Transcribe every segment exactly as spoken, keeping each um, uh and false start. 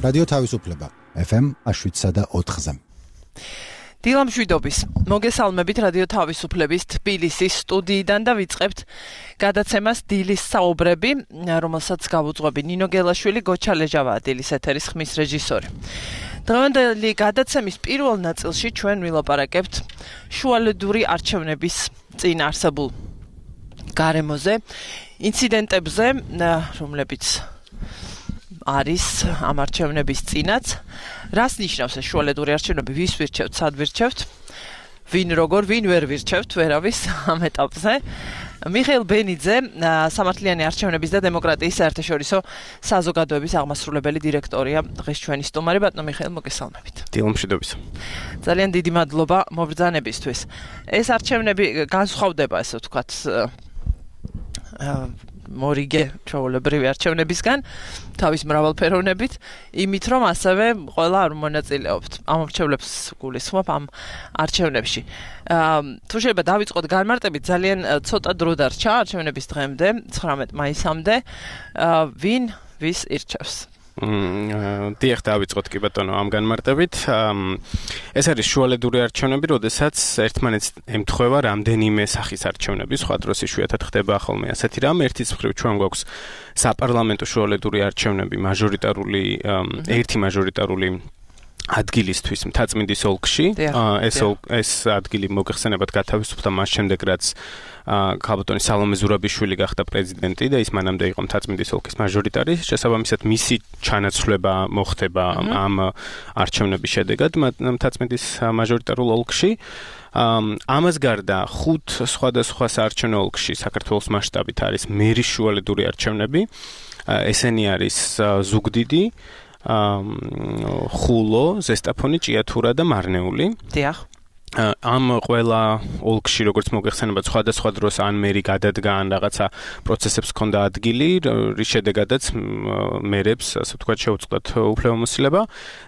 რადიო თავისუფლება ეფ ემ შვიდსა და ოთხზე. დილამშვიდობის. მოგესალმებით რადიო თავისუფლების თბილისის სტუდიიდან და ვიწყებთ გადაცემას დილის საუბრები, რომელსაც გავუძღვები ნინო გელაშვილი, გოჩა ლეჟავაა დილის ეთერის ხმის რეჟისორი. დღევანდელი გადაცემის პირველ ნაწილში ჩვენ ვილაპარაკებთ შუალედური არჩევნების წინ არსებულ გარემოზე, ინციდენტებზე, რომლებიც არის ამ არჩევნების წინაც. რას ნიშნავს ეს შუალედური არჩევნები, ვის ვირჩევთ, სად ვირჩევთ, ვინ როგორ, ვინ ვერ ვირჩევთ, ვერავის ამ ეტაპზე. მიხეილ ბენიძე, სამართლიანი არჩევნების და დემოკრატიის საერთაშორისო საზოგადოების აღმასრულებელი დირექტორია, დღეს ჩვენი სტუმარი. ბატონო მიხეილ, მოგესალმებით. დილამშვიდობის. ძალიან დიდი მადლობა მობრძანებისთვის. ეს არჩევნები განსხვავდება, ესე ვთქვათ, მორიგე ჩვეულებრივი არჩევნებისგან, თავის მრავალფეროვნებით, იმით რომ ასევე ყველა არ მონაწილეობთ. ამ არჩევნებს გულისხმობ ამ არჩევნებში. თუ შეიძლება დავიწყოთ განმარტებით, ძალიან ცოტა დრო დარჩა არჩევნების დღემდე, ცხრამეტ მაისამდე, ვინ ვის ირჩევს? დიახ, დავიწყოთ კი ბატონო ამ განმარტებით. ეს არის შუალედური არჩევნები, როდესაც ერთმანეთს ემთხვევა რამდენიმე სახის არჩევნები, სხვა დროს იშვიათად ხდება ხოლმე ასეთი რამ. ერთის მხრივ ჩვენ გვაქვს საპარლამენტო შუალედური არჩევნები, მაჟორიტარული, ერთი მაჟორიტარული ადგილისთვის მთაწმინდის ოლქში. ეს ეს ადგილი მოგეხსენებათ გათავისუფლდა მას შემდეგ, რაც ქალბატონი სალომე ზურაბიშვილი გახდა პრეზიდენტი და ის მანამდე იყო მთაწმინდის ოლქის მაჟორიტარი. შესაბამისად, მისი ჩანაცვლება მოხდება ამ არჩევნების შედეგად მთაწმინდის მაჟორიტარულ ოლქში. ამას გარდა ხუთ სხვადასხვა საარჩევნო ოლქში საქართველოს მასშტაბით არის მერის შუალედური არჩევნები. ესენი არის ზუგდიდი, ხულო, ზესტაფონი, ჭიათურა და მარნეული. დიახ. ამ ყველა ოლქში, როგორც მოგეხსენებათ, სხვადასხვა დროს ან მერი გადადგა, ან რაღაცა პროცესებს ჰქონდა ადგილი, რის შედეგადაც მერებს, ასე ვთქვათ, შეუწყდათ უფლებამოსილება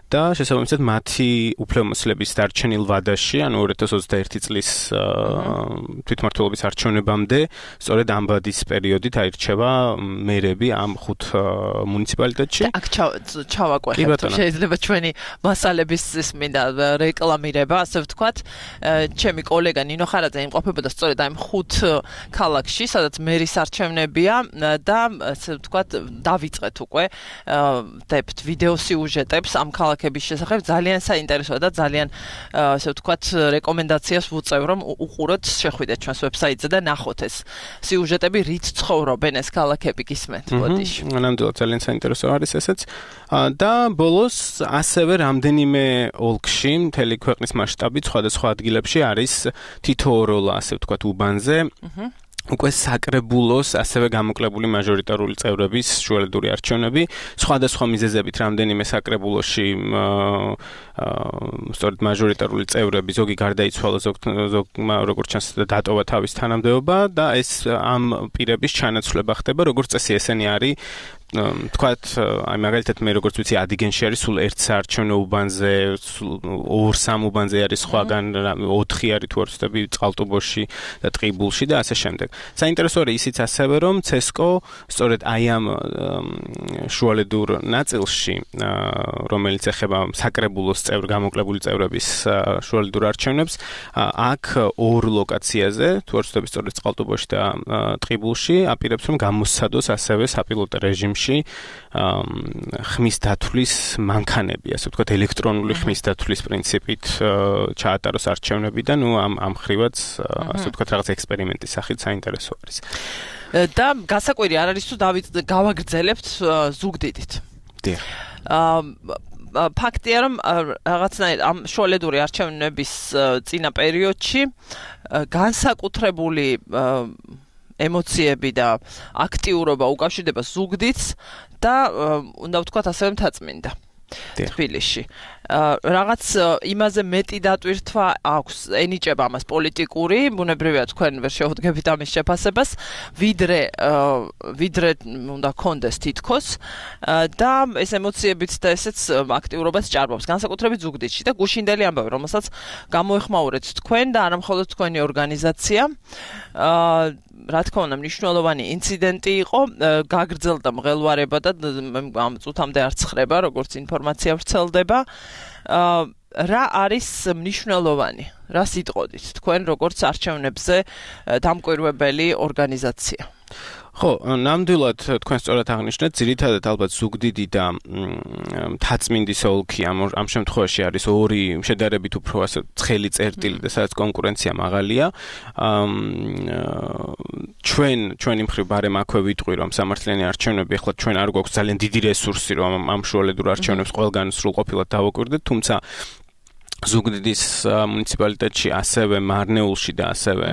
და შესაბამისად მათი უფლებამოსილების დარჩენილ ვადაში, ანუ ორი ათას ოცდაერთი წლის თვითმმართველობის არჩევნებამდე, სწორედ ამ ვადის პერიოდით აირჩევა მერები ამ ხუთ მუნიციპალიტეტში. აქ ჩავაკვეხებთ, შეიძლება ჩვენი მასალების ის მინდა რეკლამირება, ასე ვთქვათ. ჩემი კოლეგა ნინო ხარაძე იმყოფებოდა სწორედ ამ ხუთ ქალაქში, სადაც მერის არჩევნებია და ასე ვთქვათ, დავიწყეთ უკვე დებთ ვიდეო სიუჟეტებს ამ ქალაქების შესახებ. ძალიან საინტერესოა და ძალიან ასე ვთქვათ, რეკომენდაციას ვუწევ, რომ უყუროთ, შეხვიდეთ ჩვენს ვებსაიტზე და ნახოთ ეს სიუჟეტები, რით ცხოვრობენ ეს ქალაქები, გისმენთ, ბოდიში. ნამდვილად ძალიან საინტერესო არის ესეც. და ბოლოს ასევე რამდენიმე ოლქში, მთელი ქვეყნის მასშტაბით, სხვადასხვა ადგილებში არის თითოეულა, ასე ვთქვათ, უბანზე. უკვე საკრებულოს ასევე გამოკლებული მაჟორიტარული წევრების შუალედური არჩევნები, სხვადასხვა მიზეზებით რამდენიმე საკრებულოში სწორედ მაჟორიტარული წევრები, ზოგი გარდაიცვალა, ზოგმა როგორც ჩანს დატოვა თავის თანამდებობა და ეს ამ პირების ჩანაცვლება ხდება, როგორც წესი ესენი არის თქვათ, აი მაგალითად მე როგორც ვიცი, ადიგენში არის სულ ერთ საარჩევნო უბანზე, ორ სამ უბანზე არის სხვაგან, ოთხი არის თუ არ ვცდები, წყალტუბოში და ტყიბულში და ასე შემდეგ. საინტერესო არის ისიც ასევე, რომ ცესკო სწორედ აი ამ შუალედურ ნაწილში, რომელიც ეხება საკრებულოს წევრ გამოკლებული წევრების შუალედურ არჩევნებს, აქ ორ ლოკაციაზე, თუ არ ვცდები, სწორედ წყალტუბოში და ტყიბულში აპირებს, რომ გამოსცადოს ასევე საპილოტო რეჟიმი ხმის დათვლის მანქანები, ასე ვთქვათ, ელექტრონული ხმის დათვლის პრინციპით ჩაატაროს არჩევნები და ნუ ამ ამ ხრივაც, ასე ვთქვათ, რაღაც ექსპერიმენტის სახით საინტერესო არის. და გასაკვირი არ არის თუ გავაგრძელებთ ზუგდიდით. დიახ. ფაქტია, რომ რაღაცნაირად ამ შუალედური არჩევნების წინა პერიოდში განსაკუთრებული ემოციები და აქტიურობა უკავშირდება ზუგდიდს და უნდა ვთქვათ ასევე მთაწმინდა თბილისში. რაღაც იმაზე მეტი დატვირთვა აქვს, ენიჭება ამას პოლიტიკური, ბუნებრივია თქვენ ვერ შეუდგებით ამის შეფასებას, ვიდრე ვიდრე უნდა კონდეს თითქოს და ეს ემოციებიც და ესეც აქტიურობას ჭარბობს, განსაკუთრებით ზუგდიდში და გუშინდელი ამბავი, რომელსაც გამოეხმაურეთ თქვენ და არა მხოლოდ თქვენი ორგანიზაცია. რა თქმა უნდა, მნიშვნელოვანი ინციდენტი იყო, გაგრძელდა მღელვარება და ამ წუთამდე არ ცხრება, როგორც ინფორმაცია ინფორმაცია ვრცელდება. რა არის მნიშვნელოვანი? რა სიტყოდით თქვენ როგორც არჩევნებზე დამკვირვებელი ორგანიზაცია? ხო, ნამდვილად თქვენ სწორად აღნიშნეთ, ძირითადად ალბათ ზუგდიდი და მთაწმინდის ოლქი ამ ამ შემთხვევაში არის ორი შედარებით უფრო ასე ცხელი წერტილი და სადაც კონკურენცია მაღალია. ჩვენ ჩვენი მხრივ ბარემ აქვე ვიტყვი, რომ სამართლიანი არჩევნები ახლა ჩვენ არ გვაქვს ძალიან დიდი რესურსი, რომ ამ შუალედურ არჩევნებს ყველგან სრულყოფილად დავაკვირდეთ, თუმცა ზუგდიდის მუნიციპალიტეტში, ასევე მარნეულში და ასევე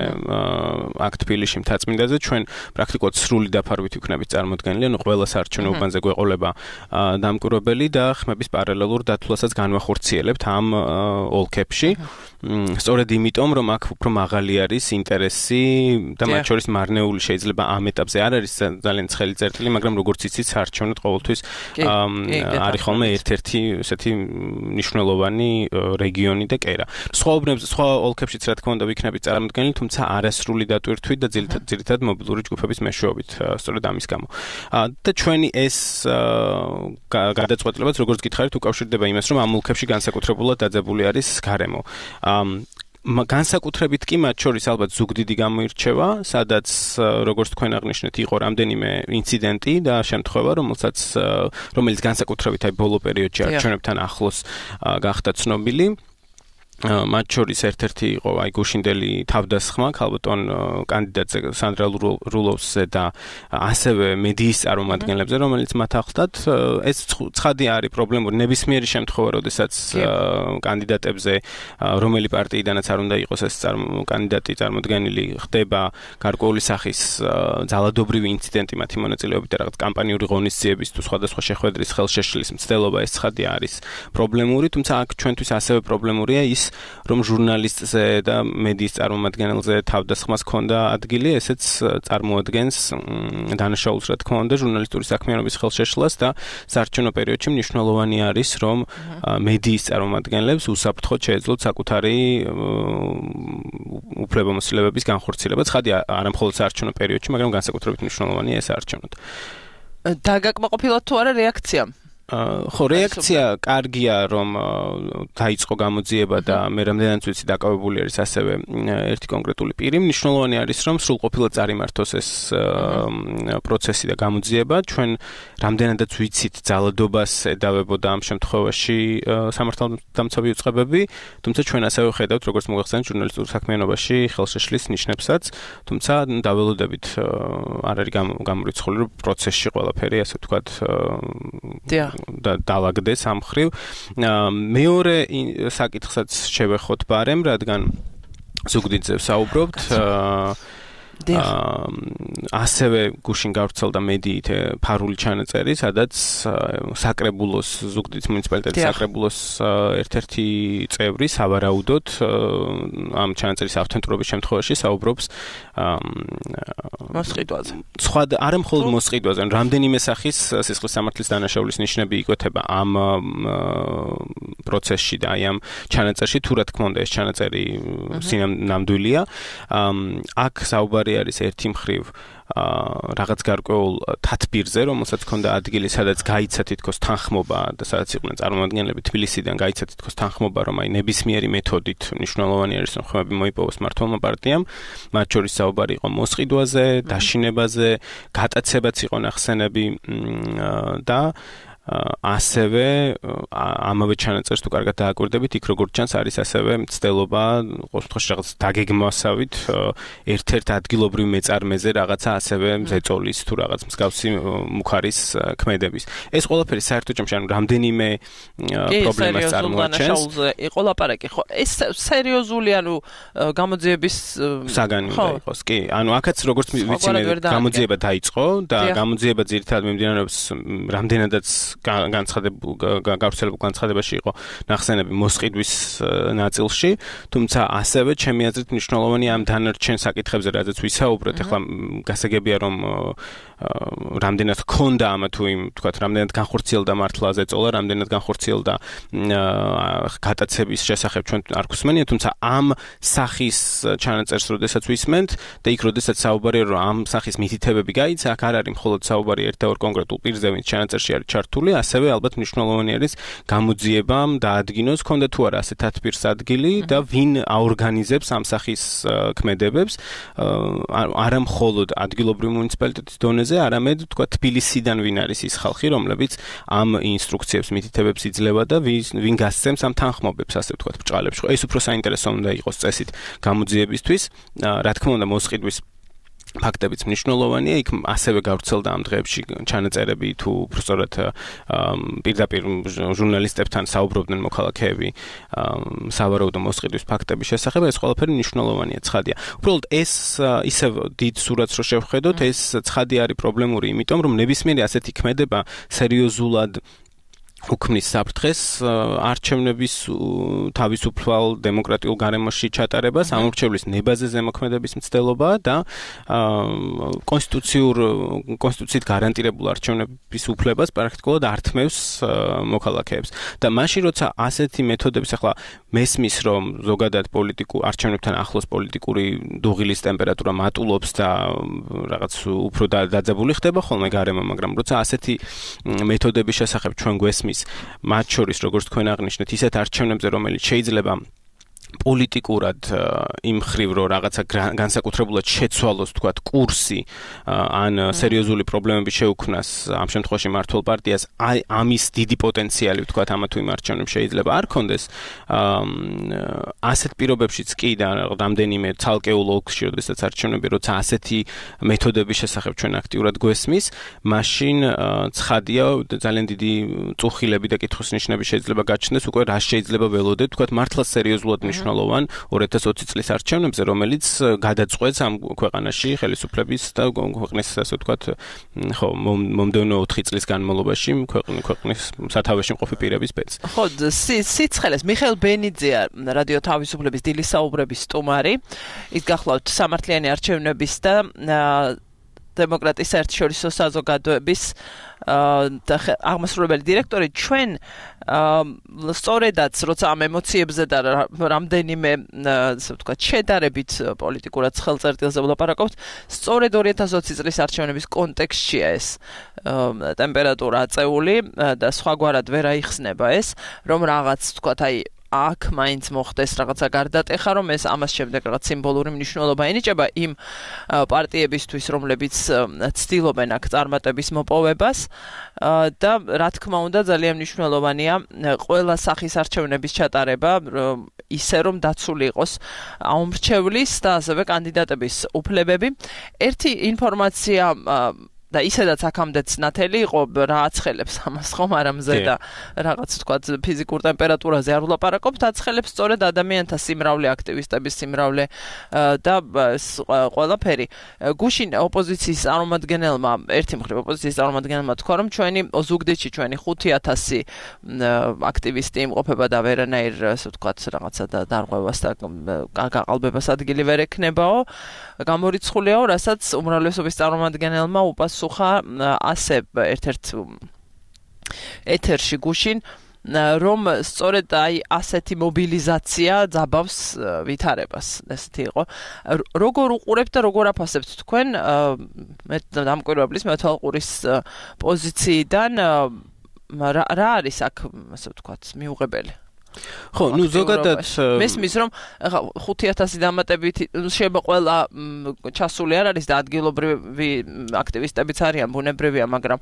აქ თბილისში მთაწმინდაზე ჩვენ პრაქტიკულად სრული დაფარვით ვიქნებით წარმოდგენილი, ანუ ყველა საარჩევნო უბანზე გვეყოლება დამკვირვებელი და ხმების პარალელურ დათვლასაც განვახორციელებთ ამ ოლქებში. სწორედ იმიტომ, რომ აქ უფრო მაღალი არის ინტერესი და მათ შორის მარნეული შეიძლება ამ ეტაპზე არ არის ძალიან ცხელი წერტილი, მაგრამ როგორც იცით, საარჩევნოდ ყოველთვის არის ხოლმე ერთ-ერთი ესეთი მნიშვნელოვანი რეგიონი და კერა. სხვა უბნებზე, სხვა ოლქებშიც რა თქმა უნდა ვიქნებით წარმოდგენილი, თუმცა არასრული დატვირთვით და ძირითადად მობილური ჯგუფების მეშვეობით, სწორედ ამის გამო. და ჩვენი ეს გადაწყვეტილებაც, როგორც გითხარით, უკავშირდება იმას, რომ ამ ოლქებში განსაკუთრებულად დაძაბული არის გარემო. განსაკუთრებით კი მათ შორის ალბათ ზუგდიდი გამოირჩევა, სადაც როგორც თქვენ აღნიშნეთ, იყო რამდენიმე ინციდენტი და შემთხვევა, რომელსაც რომელიც განსაკუთრებით აი ბოლო პერიოდში არჩევნებთან ახლოს გახდა ცნობილი. მათ შორის ერთ-ერთი იყო აი გუშინდელი თავდასხმა ქალბატონ კანდიდატზე სანდრა რულოვსზე და ასევე მედიის წარმომადგენლებზე, რომელიც მათ ახლდათ. ეს ცხადი არის პრობლემური ნებისმიერი შემთხვევა, როდესაც კანდიდატებზე რომელი პარტიიდანაც არ უნდა იყოს ეს კანდიდატი წარმოდგენილი, ხდება გარკვეული სახის ძალადობრივი ინციდენტი მათი მონაწილეობით და რაღაც კამპანიური ღონისძიების თუ სხვადასხვა შეხვედრის ხელშეშლის მცდელობა, ეს ცხადი არის პრობლემური, თუმცა აქ ჩვენთვის ასევე პრობლემურია ის რომ ჟურნალისტზე და მედიის წარმომადგენელზე თავდასხმას ჰქონდა ადგილი, ესეც წარმოადგენს დანაშაულს, რა თქმა უნდა, ჟურნალისტური საქმიანობის ხელშეშლას და საარჩევნო პერიოდში მნიშვნელოვანი არის, რომ მედიის წარმომადგენლებს უსაფრთხოდ შეეძლოთ საკუთარი უფლებამოსილებების განხორციელება. ცხადი არა მხოლოდ საარჩევნო პერიოდში, მაგრამ განსაკუთრებით მნიშვნელოვანია ეს საარჩევნოდ. დაგაკმაყოფილოთ თუ არა რეაქცია? ხო, რეაქცია კარგია, რომ დაიწყო გამოძიება და მე რამდენად ვიცი დაკავებული არის ასევე ერთი კონკრეტული პირი. მნიშვნელოვანი არის, რომ სრულყოფილად წარიმართოს ეს პროცესი და გამოძიება. ჩვენ რამდენადაც ვიცით ძალადობას ედავებოდა ამ შემთხვევაში სამართალდამცავი უწყებები, თუმცა ჩვენ ასევე ხედავთ, როგორც მოგახსენეთ, ჟურნალისტურ საქმიანობაში ხელშეშლის ნიშნებსაც, თუმცა დაველოდებით არ არის გამორიცხული, რომ პროცესში ყველაფერი, ასე ვთქვათ, და დაალაგდეს ამ ხრივ. მეორე საკითხსაც შევეხოთ ბარემ, რადგან ზუგდიდზე ვსაუბრობთ. ასევე გუშინ გავრცელდა მედიით ფარული ჩანაწერი, სადაც საკრებულოს ზუგდიდის მუნიციპალიტეტის საკრებულოს ერთ-ერთი წევრი სავარაუდოდ ამ ჩანაწერის ავთენტურობის შემთხვევაში საუბრობს მოსყიდვაზე. სხვა არა მხოლოდ მოსყიდვაზე, რამდენიმე სახის სისხლის სამართლის დანაშაულის ნიშნები იკვეთება ამ პროცესში და აი ამ ჩანაწერში, თუ რა თქმა უნდა ეს ჩანაწერი სინამდვილეა. აქ საუბარი არის ერთი მხრივ რაღაც გარკვეულ თათბირზე, რომელსაც ჰქონდა ადგილი, სადაც გაიცა თითქოს თანხმობა და სადაც იყვნენ წარმომადგენლები თბილისიდან, გაიცა თითქოს თანხმობა, რომ აი ნებისმიერი მეთოდით მნიშვნელოვანი არის, რომ ხმები მოიპოვოს მმართველმა პარტიამ. მათ შორის საუბარი იყო მოსყიდვაზე, დაშინებაზე, გატაცებაც იყო ნახსენები და ასევე ამავე ჩანაწერს თუ კარგად დააკვირდებით, იქ როგორც ჩანს არის ასევე მცდელობა, ყოველ შემთხვევაში რაღაც დაგეგმვასავით ერთ-ერთ ადგილობრივ მეწარმეზე რაღაცა ასევე ზეწოლის თუ რაღაც მსგავსი მუხარის ქმედების. ეს ყველაფერი საერთო ჯამში ანუ რამდენიმე პრობლემას წარმოაჩენს. იყო ლაპარაკი, ხო? ეს სერიოზული ანუ გამოძიების საგანი უნდა იყოს. კი, ანუ აქაც როგორც ვიცი მე გამოძიება დაიწყო და გამოძიება ძირითადად მიმდინარეობს რამდენადაც განცხადებულ გავრცელებულ განცხადებაში იყო ნახსენები მოსყიდვის ნაწილში, თუმცა ასევე ჩემი აზრით მნიშვნელოვანი ამ დანარჩენ საკითხებზე, რადგან ვისაუბრეთ, ახლა გასაგებია რომ რამდენად ჰქონდა ამა თუ იმ, თქვათ, რამდენად განხორციელდა მართლა ზეწოლა, რამდენად განხორციელდა გატაცების შესახებ ჩვენ არ გვსმენია, თუმცა ამ სახის ჩანაწერს როდესაც ვისმენთ და იქ როდესაც საუბარია რომ ამ სახის მითითებები გაიცა, აქ არ არის მხოლოდ საუბარი ერთ და ორ კონკრეტულ პირზე, ვინც ჩანაწერში არის ჩართული, დაკავებული, ასევე ალბათ მნიშვნელოვანი არის გამოძიებამ დაადგინოს, ქონდა თუ არა ასეთ თათბირს ადგილი და ვინ აორგანიზებს ამ სახის ქმედებებს, არა მხოლოდ ადგილობრივ მუნიციპალიტეტის დონეზე, არამედ თქვა თბილისიდან ვინ არის ის ხალხი, რომლებიც ამ ინსტრუქციებს, მითითებებს იძლევა და ვინ გასცემს ამ თანხმობებს, ასე ვთქვათ, ბრჭყალებში. ეს უფრო საინტერესო უნდა იყოს წესით გამოძიებისთვის. რა თქმა უნდა, მოსყიდვის ფაქტებიც მნიშვნელოვანია, იქ ასევე გავრცელდა ამ დღეებში ჩანაწერები თუ უბრალოდ პირდაპირ ჟურნალისტებთან საუბრობდნენ მოქალაქეები სავარაუდო მოსყიდვის ფაქტების შესახებ, ეს ყველაფერი მნიშვნელოვანია, ცხადია. უბრალოდ ეს ისევ დიდ სურათს რო შევხედოთ, ეს ცხადი არის პრობლემური, იმიტომ რომ ნებისმიერი ასეთი ქმედება სერიოზულად უქმნის საფრთხეს არჩევნების თავისუფალ დემოკრატიულ გარემოში ჩატარებას, ამორჩევლის ნებაზე ზემოქმედების მცდელობა და კონსტიტუციურ კონსტიტუციით გარანტირებულ არჩევნების უფლებას პრაქტიკულად ართმევს მოქალაქეებს. და მაშინ როცა ასეთი მეთოდების ახლა მესმის რომ ზოგადად პოლიტიკურ არჩევნებთან ახლოს პოლიტიკური დუღილის ტემპერატურა მატულობს და რაღაც უფრო დაძაბული ხდება ხოლმე გარემო, მაგრამ როცა ასეთი მეთოდების შესახებ ჩვენ გვესმის მათ შორის, როგორც თქვენ აღნიშნეთ, ისეთ არჩევნებზე, რომელიც შეიძლება პოლიტიკურად იმ ხრივ რომ რაღაცა განსაკუთრებულად შეცვალოს, თქვათ, კურსი ან სერიოზული პრობლემები შეუქმნას ამ შემთხვევაში მართლ პარტიას, აი ამის დიდი პოტენციალი, ვთქვათ, ამა თუ იმ არჩევნებს შეიძლება არ ქონდეს. ასეთ პირობებშიც კი და რამდენიმე ცალკეულ ოლქში, როდესაც არჩევნები, როცა ასეთი მეთოდების შესახებ ჩვენ აქტიურად გვესმის, მაშინ ცხადია ძალიან დიდი წუხილები და კითხვის ნიშნები შეიძლება გაჩნდეს უკვე რა შეიძლება ველოდეთ, ვთქვათ, მართლა სერიოზულად მნიშვნელოვან ორი ათას ოცი წლის არჩევნებზე, რომელიც გადაწყვეტს ამ ქვეყანაში ხელისუფლების და ქვეყნის, ასე ვთქვათ, ხო, მომდევნო ოთხი წლის განმავლობაში ქვეყნის სათავეში მყოფი პირების ბედს. ხო, სიცხელეს მიხეილ ბენიძეა რადიო თავისუფლების დილის საუბრების სტუმარი. ის გახლავთ სამართლიანი არჩევნების და დემოკრატიის საერთაშორისო საზოგადოების აღმასრულებელი დირექტორი. ჩვენ სწორედაც როცა ამ ემოციებზე და რამდენიმე ასე ვთქვათ შედარებით პოლიტიკურად ხელწერტილზე ვლაპარაკობთ, სწორედ ორი ათას ოცი წლის არჩევნების კონტექსტშია ეს ტემპერატურა აწეული და სხვაგვარად ვერ აიხსნება ეს, რომ რაღაც ვთქვათ, აი აქ მაინც მოხდეს რაღაცა გარდატეხა, რომ ეს ამას შემდეგ რაღაც სიმბოლური მნიშვნელობა ენიჭება იმ პარტიებისთვის, რომლებიც ცდილობენ აქ წარმატების მოპოვებას და რა თქმა უნდა ძალიან მნიშვნელოვანია ყველა სახის არჩევნების ჩატარება ისე რომ დაცული იყოს აუმრჩევლის და ასევე კანდიდატების უფლებები. ერთი ინფორმაცია და ისედაც აქამდეც ნათელი იყო რა აცხელებს ამას ხომ არ ამზე და რაღაც თქვა ფიზიკურ ტემპერატურაზე არ ვლაპარაკობთ, აცხელებს სწორედ ადამიანთა სიმრავლე, აქტივისტების სიმრავლე და ყველაფერი. გუშინ ოპოზიციის წარმომადგენელმა, ერთი მხრივ ოპოზიციის წარმომადგენელმა თქვა, რომ ჩვენი ზუგდიდში ჩვენი ხუთი ათასი აქტივისტი იმყოფება და ვერანაირ, ასე ვთქვათ, რაღაცა და დარღვევას და გაყალბებას ადგილი ვერ ექნებაო. გამორიცხულიაო, რასაც უმრავლესობის წარმომადგენელმა უპასუხა ასე ერთ-ერთ ეთერში გუშინ, რომ სწორედ აი ასეთი მობილიზაცია ძაბავს ვითარებას. ესეთი იყო. როგორ უყურებთ და როგორ აფასებთ თქვენ მე დამკვირვებლის მეთვალყურის პოზიციიდან რა არის აქ, ასე ვთქვათ, მიუღებელი? ხო, ნუ ზოგადად მესმის რომ ხუთი ათასი დამატებით შეიძლება ყველა ჩასული არ არის და ადგილობრივი აქტივისტებიც არიან, ბუნებრივია, მაგრამ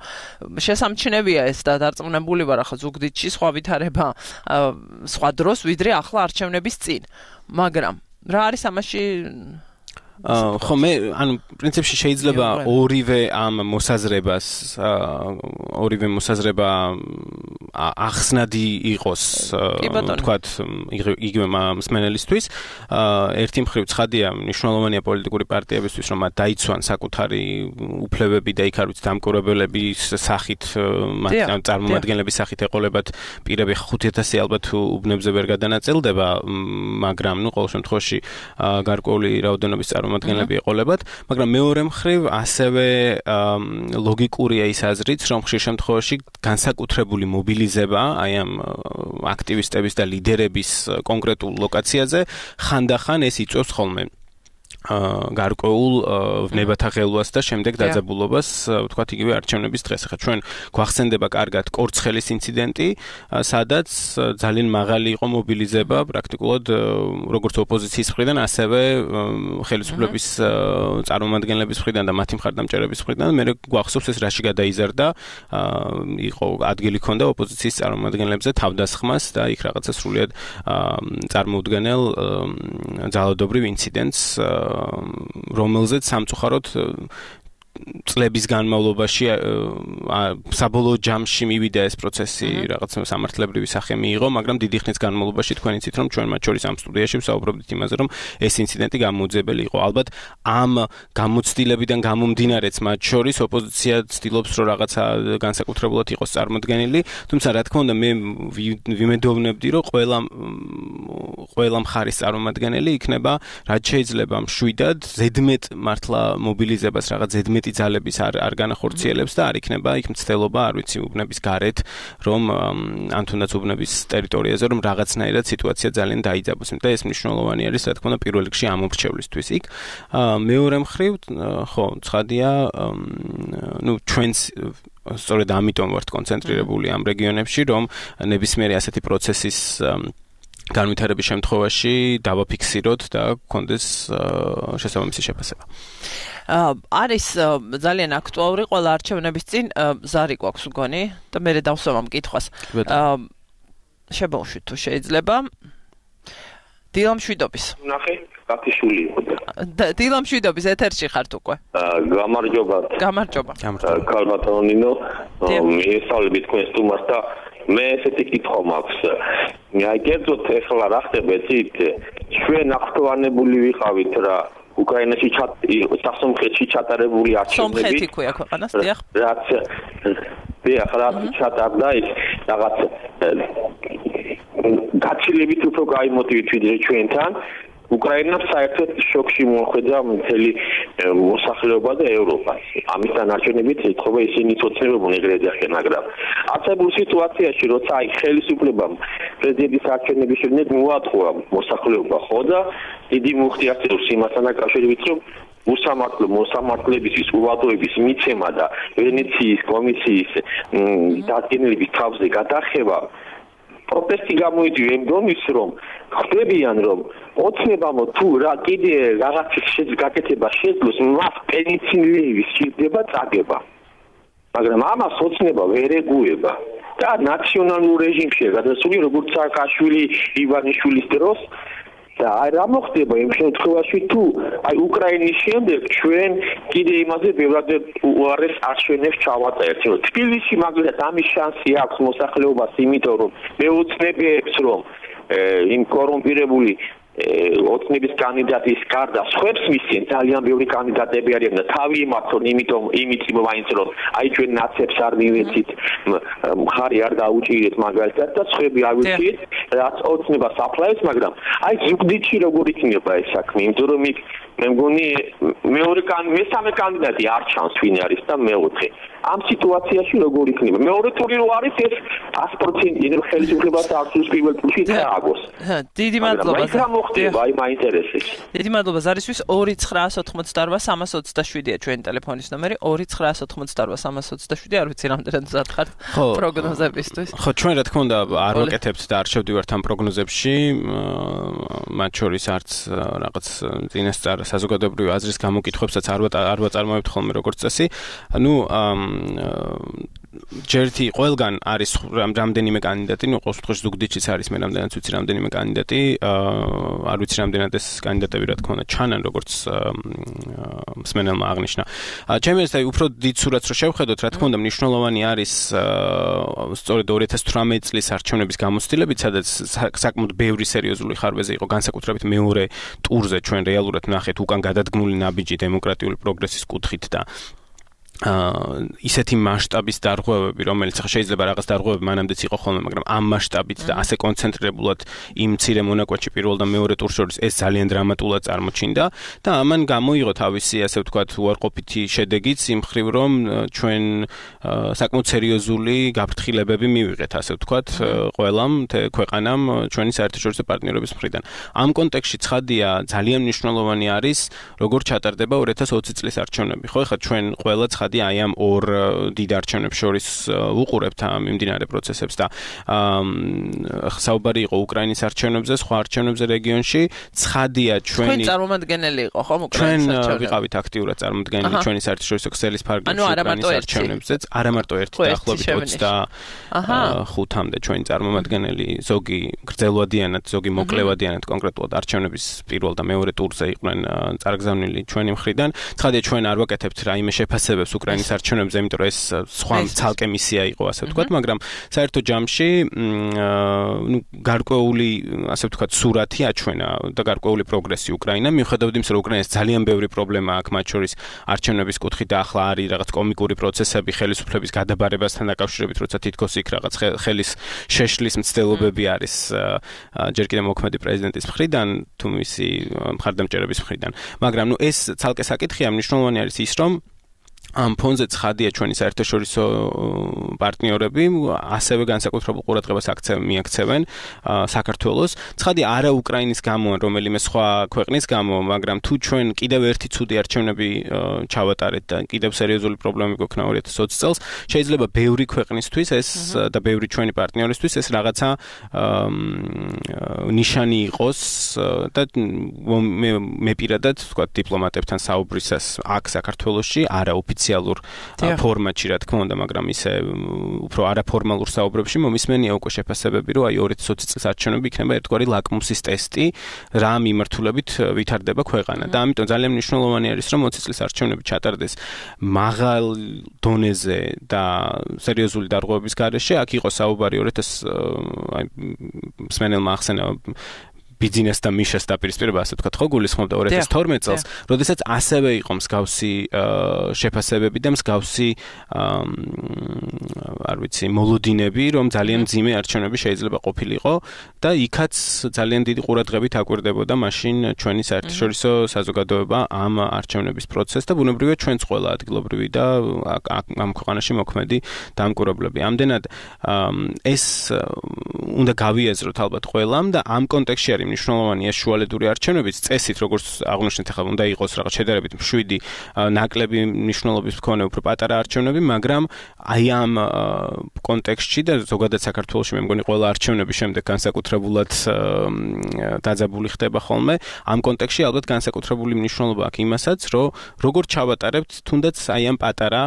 შესამჩნევია ეს და დარწმუნებული ვარ ახლა ზუგდიდში სხვა ვითარება სხვა დროს ვიდრე ახლა არჩევნების წინ. მაგრამ რა არის ამაში ხო მე ანუ პრინციპში შეიძლება ორივე ამ მოსაზრებას ორივე მოსაზრება ახსნადი იყოს თქვათ იგივე მსმენელისთვის. ერთი მხრივ ცხადია მნიშვნელოვანია პოლიტიკური პარტიებისთვის რომ მათ დაიცვან საკუთარი უფლებები და იქ არ ვიცი დამკვირვებლების სახით მათ წარმომადგენლების სახით ეყოლებათ პირები ხუთი ათასი ალბათ უბნებზე ვერ გადანაწილდება, მაგრამ ნუ ყოველ შემთხვევაში გარკვეული რაოდენობის წარმომადგენლები ეყოლებათ, მაგრამ მეორე მხრივ ასევე ლოგიკურია ის აზრიც, რომ ხშირ შემთხვევაში განსაკუთრებული მობილიზება აი ამ აქტივისტების და ლიდერების კონკრეტულ ლოკაციაზე ხანდახან ეს იწვევს ხოლმე გარკვეულ ვნებათა ღელვას და შემდეგ დაძაბულობას, ვთქვათ, იგივე არჩევნების დღეს. ახლა ჩვენ გვახსენდება კარგად კორცხელის ინციდენტი, სადაც ძალიან მაღალი იყო მობილიზება პრაქტიკულად როგორც ოპოზიციის მხრიდან, ასევე ხელისუფლების წარმომადგენლების მხრიდან და მათი მხარდამჭერების მხრიდან. მე გვახსოვს ეს რაში გადაიზარდა, იყო ადგილი ჰქონდა ოპოზიციის წარმომადგენლებზე თავდასხმას და იქ რაღაცა სრულიად წარმოუდგენელ ძალადობრივ ინციდენტს რომელზეც სამწუხაროდ წლების განმავლობაში საბოლოო ჯამში მივიდა ეს პროცესი, რაღაც სამართლებრივი სახე მიიღო, მაგრამ დიდი ხნის განმავლობაში თქვენ იცით, რომ ჩვენ მათ შორის ამ სტუდიაში ვსაუბრობდით იმაზე, რომ ეს ინციდენტი გამოუძებელი იყო. ალბათ ამ გამოცდილებიდან გამომდინარეც მათ შორის ოპოზიცია ცდილობს, რომ რაღაცა განსაკუთრებულად იყოს წარმოდგენილი, თუმცა რა თქმა უნდა მე ვიმედოვნებდი, რომ ყველა ყველა მხარის წარმომადგენელი იქნება რაც შეიძლება მშვიდად, ზედმეტ მართლა მობილიზებას რაღაც ზედმეტ ძალების არ არ განახორციელებს და არ იქნება იქ მცდელობა, არ ვიცი, უბნების გარეთ, რომ ან თუნდაც უბნების ტერიტორიაზე, რომ რაღაცნაირად სიტუაცია ძალიან დაიძაბოს. და ეს მნიშვნელოვანი არის, რა თქმა უნდა, პირველ რიგში ამ მომრჩევლისთვის იქ. მეორე მხრივ, ხო, ცხადია, ну, ჩვენს სწორედ ამიტომ ვართ კონცენტრირებული ამ რეგიონებში, რომ ნებისმიერი ასეთი პროცესის განვითარების შემთხვევაში დავაფიქსიროთ და გქონდეს შესაბამისი შეფასება. არის ძალიან აქტუალური ყველა არჩევნების წინ ზარი გვაქვს მგონი და მე დავსვამ ამ კითხვას. შებაუშვით თუ შეიძლება. დილა მშვიდობის. ნახე, გათიშული იყო. დილა მშვიდობის ეთერში ხართ უკვე. გამარჯობა. გამარჯობა. კალბატონინო, მიესალმები თქვენ სტუმარს და მე ესეთი კითხვა მაქვს. აი კერძოდ ეხლა რა ხდება იცით? ჩვენ ახლოვანებული ვიყავით რა უკრაინაში სასომხეთში ჩატარებული არჩევნები. სომხეთი ქვია ქვეყანას, დიახ. რაც დიახ, რაც ჩატარდა ის რაღაც გაცილებით უფრო გაიმოტივით ვიდრე ჩვენთან. უკრაინას საერთოდ შოკში მოხვედა მთელი მოსახლეობა და ევროპა. ამისთან არჩევნებით ეთქობა ისინი ცოცხლებობენ ეგრეთ ახლა, მაგრამ არსებულ სიტუაციაში, როცა აი ხელისუფლებამ პრეზიდენტის არჩევნების შემდეგ მოატყუა მოსახლეობა, ხო და დიდი მუხტი არსებობს იმასთან დაკავშირებით, რომ უსამართლო მოსამართლებისთვის უვადოების მიცემა და ვენეციის კომისიის დადგენილების თავზე გადახება პროტესტი გამოიწვია იმ დონის, რომ ხდებიან, რომ ოცნებამ თუ რა კიდე რაღაც გაკეთება შეძლოს, მას პენიცინლეივის სჭირდება წაგება. მაგრამ ამას ოცნება ვერ ეგუება. და ნაციონალურ რეჟიმში გადასული, როგორც სააკაშვილი, ივანიშვილის დროს და აი რა მოხდება იმ შემთხვევაში თუ აი უკრაინის შემდეგ ჩვენ კიდე იმაზე ბევრად უარეს არჩევნებს ჩავატარებთ. თბილისში მაგალითად ამის შანსი აქვს მოსახლეობას, იმიტომ რომ მეოცნებებს რომ იმ კორუმპირებული ოცნების კანდიდატის გარდა სხვებს მისცენ ძალიან ბევრი კანდიდატები არიან და თავი იმართონ, იმიტომ იმით მაინც რომ აი ჩვენ ნაცებს არ მივეცით, მხარი არ დაუჭირეთ მაგალითად და სხვები ავირჩიეთ, რაც ოცნებას აფლავებს, მაგრამ აი ზუგდიდში როგორ იქნება ეს საქმე, იმიტომ რომ იქ მე მგონი მეორე მესამე კანდიდატი არ ჩანს ვინ არის და მეოთხე. ამ სიტუაციაში როგორ იქნება? მეორე ტური რო არის ეს ათი პროცენტი რომ ხელისუფლებას არცუს პირველ ტურში დააგოს. დიდი მადლობა. აი რა მოხდება? აი მაინტერესებს. დიდი მადლობა ზარისთვის. ორი ცხრაას ოთხმოცდაორვა სამას ოცდაშვიდია ჩვენი ტელეფონის ნომერი. ორი ცხრაას ოთხმოცდაორვა სამას ოცდაშვიდი, არ ვიცი რამდენად მზად ხართ პროგნოზებისთვის. ხო, ჩვენ რა თქმა უნდა არ ვაკეთებთ და არ შევდივართ ამ პროგნოზებში, მათ შორის არც რაღაც წინასწარ საზოგადოებრივი აზრის გამოკითხვებსაც არ არ ვაწარმოებთ ხოლმე როგორც წესი. ანუ ჯერთი ყველგან არის რამდენიმე კანდიდატი, ნუ ყოველ შემთხვევაში ზუგდიდშიც არის მე რამდენად ვიცი რამდენიმე კანდიდატი, არ ვიცი რამდენად ეს კანდიდატები რა თქმა უნდა ჩანან, როგორც მსმენელმა აღნიშნა. ჩემი ეს აი უფრო დიდ სურათს რო შევხედოთ, რა თქმა უნდა მნიშვნელოვანი არის სწორედ ორი ათას თვრამეტი წლის არჩევნების გამოცდილებით, სადაც საკმაოდ ბევრი სერიოზული ხარვეზი იყო, განსაკუთრებით მეორე ტურზე ჩვენ რეალურად ნახეთ უკან გადადგმული ნაბიჯი დემოკრატიული პროგრესის კუთხით და ისეთი მასშტაბის დარღვევები, რომელიც ახლა შეიძლება რაღაც დარღვევები მანამდეც იყო ხოლმე, მაგრამ ამ მასშტაბით და ასე კონცენტრირებულად იმ მცირე მონაკვეთში პირველ და მეორე ტურს შორის ეს ძალიან დრამატულად წარმოჩინდა და ამან გამოიღო თავისი, ასე ვთქვათ, უარყოფითი შედეგიც იმ მხრივ, რომ ჩვენ საკმაოდ სერიოზული გაფრთხილებები მივიღეთ, ასე ვთქვათ, ყველამ ქვეყანამ ჩვენი საერთაშორისო პარტნიორების მხრიდან. ამ კონტექსტში ცხადია, ძალიან მნიშვნელოვანი არის, როგორ ჩატარდება ორი ათას ოცი წლის არჩევნები. ხო, ეხლა ჩვენ ყველა ცხადია აი ამ ორ დიდ არჩევნებს შორის უყურებთ ამ მიმდინარე პროცესებს და საუბარი იყო უკრაინის არჩევნებზე, სხვა არჩევნებზე რეგიონში. ცხადია ჩვენი თქვენ წარმომადგენელი იყო ხომ ჩვენ უკრაინის არჩევნებში? ვიყავით აქტიურად წარმოდგენილი ჩვენი საერთაშორისო ქსელის ფარგლებში უკრაინის არჩევნებზეც. არა მარტო ერთი დაახლოებით ოცდახუთამდე ჩვენი წარმომადგენელი, ზოგი გრძელვადიანად, ზოგი მოკლევადიანად კონკრეტულად არჩევნების პირველ და მეორე ტურზე იყვნენ წარგზავნილი ჩვენი მხრიდან. ცხადია ჩვენ არ ვაკეთებთ რაიმე შეფასებებს უკრაინის არჩევნებზე, იმიტომ რომ ეს სხვა ცალკე მისია იყო, ასე ვთქვათ, მაგრამ საერთო ჯამში, ნუ გარკვეული, ასე ვთქვათ, სურათი აჩვენა და გარკვეული პროგრესი უკრაინამ, მიუხედავად იმისა, რომ უკრაინას ძალიან ბევრი პრობლემა აქვს, მათ შორის არჩევნების კუთხით და ახლა არის რაღაც კომიკური პროცესები ხელისუფლების გადაბარებასთან დაკავშირებით, როცა თითქოს იქ რაღაც ხელის შეშლის მცდელობები არის ჯერ კიდევ მოქმედი პრეზიდენტის მხრიდან, თუ მისი მხარდამჭერების მხრიდან. მაგრამ ნუ ეს ცალკე საკითხია, მნიშვნელოვანი არის ის, რომ ამ ფონზე ცხადია ჩვენი საერთაშორისო პარტნიორები ასევე განსაკუთრებულ ყურადღებას მიაქცევენ საქართველოს. ცხადია არა უკრაინის გამო, რომელიმე სხვა ქვეყნის გამო, მაგრამ თუ ჩვენ კიდევ ერთი ცუდი არჩევნები ჩავატარეთ და კიდევ სერიოზული პრობლემები გვექნა ორი ათას ოცი წელს, შეიძლება ბევრი ქვეყნისთვის ეს და ბევრი ჩვენი პარტნიორისთვის ეს რაღაცა ნიშანი იყოს და მე პირადად ვთქვათ დიპლომატებთან საუბრისას აქ საქართველოში არა ოფიციალურ ფორმატში, რა თქმა უნდა, მაგრამ ისე უფრო არაფორმალურ საუბრებში მომისმენია უკვე შეფასებები, რომ აი ორი ათას ოცი წლის არჩევნები იქნება ერთგვარი ლაკმუსის ტესტი, რა მიმართულებით ვითარდება ქვეყანა. და ამიტომ ძალიან მნიშვნელოვანი არის, რომ ოცი წლის არჩევნები ჩატარდეს მაღალ დონეზე და სერიოზული დარღვევების გარეშე. აქ იყო საუბარი ორი ათას აი მსმენელმა ახსენა ბიზნეს და მიშას დაპირისპირება, ასე ვთქვათ, ხო გულისხმობდა ორი ათას თორმეტ წელს, როდესაც ასევე იყო მსგავსი შეფასებები და მსგავსი არ ვიცი, მოლოდინები, რომ ძალიან მძიმე არჩევნები შეიძლება ყოფილიყო და იქაც ძალიან დიდი ყურადღებით აკვირდებოდა მაშინ ჩვენი საერთაშორისო საზოგადოება ამ არჩევნების პროცესს და ბუნებრივია ჩვენც ყველა ადგილობრივი და ამ ქვეყანაში მოქმედი დამკვირვებლები. ამდენად ეს უნდა გავიაზროთ ალბათ ყველამ და ამ კონტექსტში არის მნიშვნელოვანია შუალედური არჩევნების წესით, როგორც აღნიშნეთ, ახლა უნდა იყოს რაღაც შედარებით შვიდი ნაკლები მნიშვნელობის მქონე უფრო პატარა არჩევნები, მაგრამ აი ამ კონტექსტში და ზოგადად საქართველოში მე მგონი ყველა არჩევნების შემდეგ განსაკუთრებულად დაძაბული ხდება ხოლმე. ამ კონტექსტში ალბათ განსაკუთრებული მნიშვნელობა აქვს იმასაც, რომ როგორ ჩავატარებთ თუნდაც აი ამ პატარა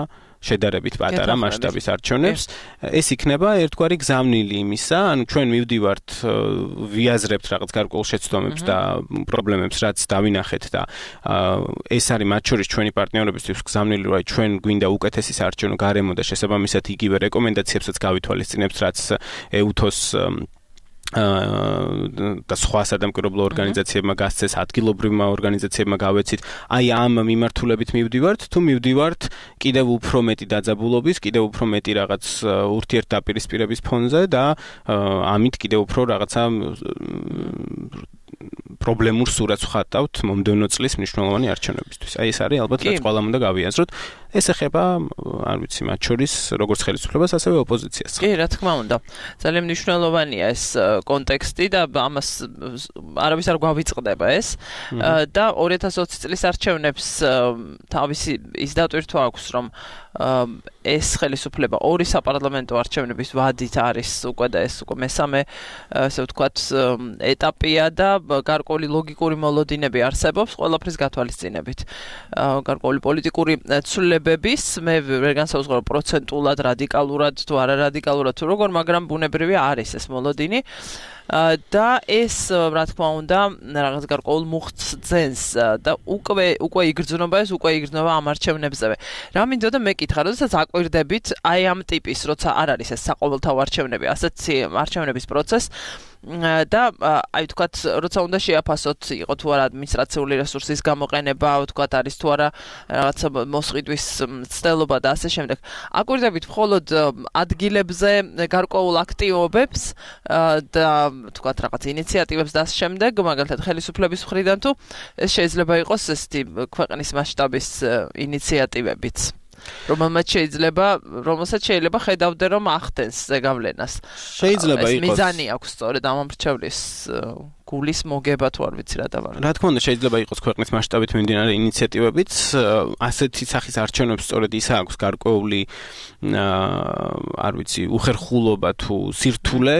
შედარებით პატარა მასშტაბის არჩევნებს, ეს იქნება ერთგვარი გზავნილი იმისა, ანუ ჩვენ მივდივართ, ვიაზრებთ რაღაც გარკვეულ შეცდომებს და პრობლემებს, რაც დავინახეთ და ეს არის მათ შორის ჩვენი პარტნიორებისთვის გზავნილი, რომ ჩვენ გვინდა უკეთესი საარჩევნო გარემო და შესაბამისად იგივე რეკომენდაციებსაც გავითვალისწინებთ, რაც ეუთოს და სხვა სადამკვირვებლო ორგანიზაციებმა გასცეს, ადგილობრივმა ორგანიზაციებმა გავეცით. აი ამ მიმართულებით მივდივართ, თუ მივდივართ კიდევ უფრო მეტი დაძაბულობის, კიდევ უფრო მეტი რაღაც ურთიერთდაპირისპირების ფონზე და ამით კიდევ უფრო რაღაცა პრობლემურ სურათს ვხატავთ მომდევნო წლის მნიშვნელოვანი არჩევნებისთვის. აი ეს არის ალბათ რაც ყველამ უნდა გავიაზროთ. ეს ეხება, არ ვიცი, მათ შორის როგორც ხელისუფლებას, ასევე ოპოზიციას. კი, რა თქმა უნდა. ძალიან მნიშვნელოვანია ეს კონტექსტი და ამას არავის არ გვავიწყდება ეს. და ორი ათას ოცი წლის არჩევნებს თავისი ის დატვირთვა აქვს, რომ ეს ხელისუფლება ორი საპარლამენტო არჩევნების ვადით არის უკვე და ეს უკვე მესამე, ასე ვთქვათ, ეტაპია და გარკვეული ლოგიკური მოლოდინები არსებობს ყველაფრის გათვალისწინებით. გარკვეული პოლიტიკური ცვლილებების, მე ვერ განსაუზღრო პროცენტულად, რადიკალურად თუ არა რადიკალურად თუ როგორ, მაგრამ ბუნებრივია არის ეს მოლოდინი. და ეს, რა თქმა უნდა, რაღაც გარკვეულ მუხტს ძენს და უკვე უკვე იგრძნობა ეს, უკვე იგრძნობა ამ არჩევნებზე. რა მინდოდა მეკითხა, როდესაც აკვირდებით აი ამ ტიპის, როცა არ არის ეს საყოველთაო არჩევნები, ასეთი არჩევნების პროცესს, და აი ვთქვათ, როცა უნდა შეაფასოთ, იყო თუ არა ადმინისტრაციული რესურსის გამოყენება, ვთქვათ, არის თუ არა რაღაცა მოსყიდვის ცდელობა და ასე შემდეგ. აკვირდებით მხოლოდ ადგილებზე გარკვეულ აქტივობებს და ვთქვათ, რაღაც ინიციატივებს და ასე შემდეგ, მაგალითად ხელისუფლების მხრიდან თუ ეს შეიძლება იყოს ესეთი ქვეყნის მასშტაბის ინიციატივებიც. რომელმაც შეიძლება, რომელსაც შეიძლება ხედავდე რომ ახდენს ზეგავლენას. შეიძლება იყოს. მიზანი აქვს სწორედ ამ მრჩევლის გულის მოგება თუ არ ვიცი რა დავარ. რა თქმა უნდა, შეიძლება იყოს ქვეყნის მასშტაბით მიმდინარე ინიციატივებიც, ასეთი სახის არჩევნებს სწორედ ისა აქვს გარკვეული არ ვიცი, უხერხულობა თუ სირთულე,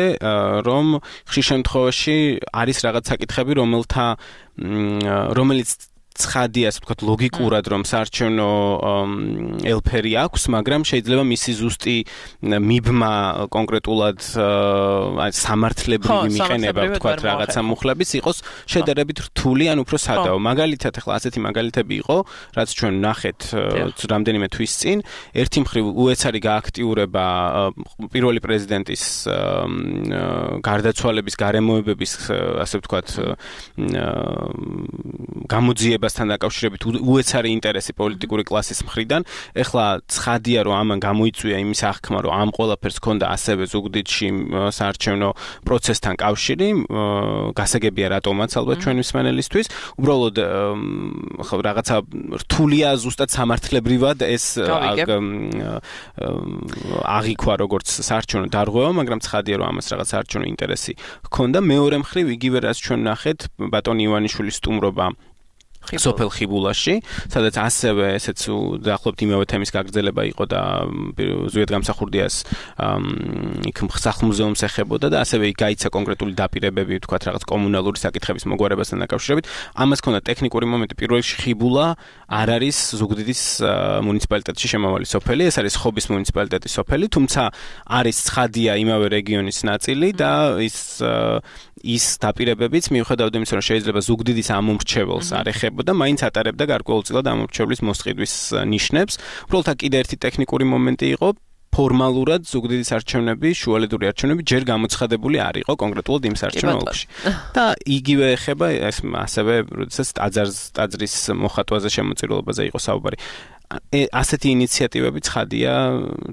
რომ ხშირ შემთხვევაში არის რაღაც საკითხები, რომელთა რომელიც ცხადია, ასე ვთქვათ, ლოგიკურად რომ საარჩევნო ელფერი აქვს, მაგრამ შეიძლება მისი ზუსტი მიბმა კონკრეტულად აი სამართლებრივი მიყენება, ვთქვათ, რაღაცა მუხლების იყოს შედარებით რთული ან უფრო სადაო. მაგალითად, ახლა ასეთი მაგალითები იყო, რაც ჩვენ ნახეთ რამდენიმე თვის წინ, ერთი მხრივ უეცარი გააქტიურება პირველი პრეზიდენტის გარდაცვალების გარემოებების, ასე ვთქვათ, გამოძიება თან დაკავშირებით უეცარი ინტერესი პოლიტიკური კლასის მხრიდან. ეხლა ცხადია, რომ ამან გამოიწვია იმის აღქმა, რომ ამ ყველაფერს ჰქონდა ასევე ზუგდიდში საარჩევნო პროცესთან კავშირი, გასაგებია რატომაც ალბათ ჩვენი მსმენელისთვის. უბრალოდ ხო რაღაცა რთულია ზუსტად სამართლებრივად ეს აღიქვა როგორც საარჩევნო დარღვევა, მაგრამ ცხადია, რომ ამას რაღაც საარჩევნო ინტერესი ჰქონდა. მეორე მხრივ იგივე რაც ჩვენ ნახეთ, ბატონი ივანიშვილის სტუმრობა სოფელ ხიბულაში, სადაც ასევე ესეც დაახლოებით იმავე თემის გაგრძელება იყო და ზვიად გამსახურდიას იქ სახლ-მუზეუმს ეხებოდა და ასევე იქ გაიცა კონკრეტული დაპირებები, ვთქვათ, რაღაც კომუნალური საკითხების მოგვარებასთან დაკავშირებით. ამას ჰქონდა ტექნიკური მომენტი. პირველ რიგში ხიბულა არ არის ზუგდიდის მუნიციპალიტეტში შემავალი სოფელი, ეს არის ხობის მუნიციპალიტეტის სოფელი, თუმცა არის ცხადია იმავე რეგიონის ნაწილი და ის ის დაპირებებიც მიუხედავად იმისა, რომ შეიძლება ზუგდიდის ამომრჩეველს არ ეხებოდა, მაინც ატარებდა გარკვეულწილად ამომრჩევლის მოსყიდვის ნიშნებს. უბრალოდ აქ კიდე ერთი ტექნიკური მომენტი იყო, ფორმალურად ზუგდიდის არჩევნები, შუალედური არჩევნები ჯერ გამოცხადებული არ იყო კონკრეტულად იმ საარჩევნო ოლქში. და იგივე ეხება ეს ასევე, როდესაც ტაძარს, ტაძრის მოხატვაზე შემოწირულობაზე იყო საუბარი. ასეთი ინიციატივები ცხადია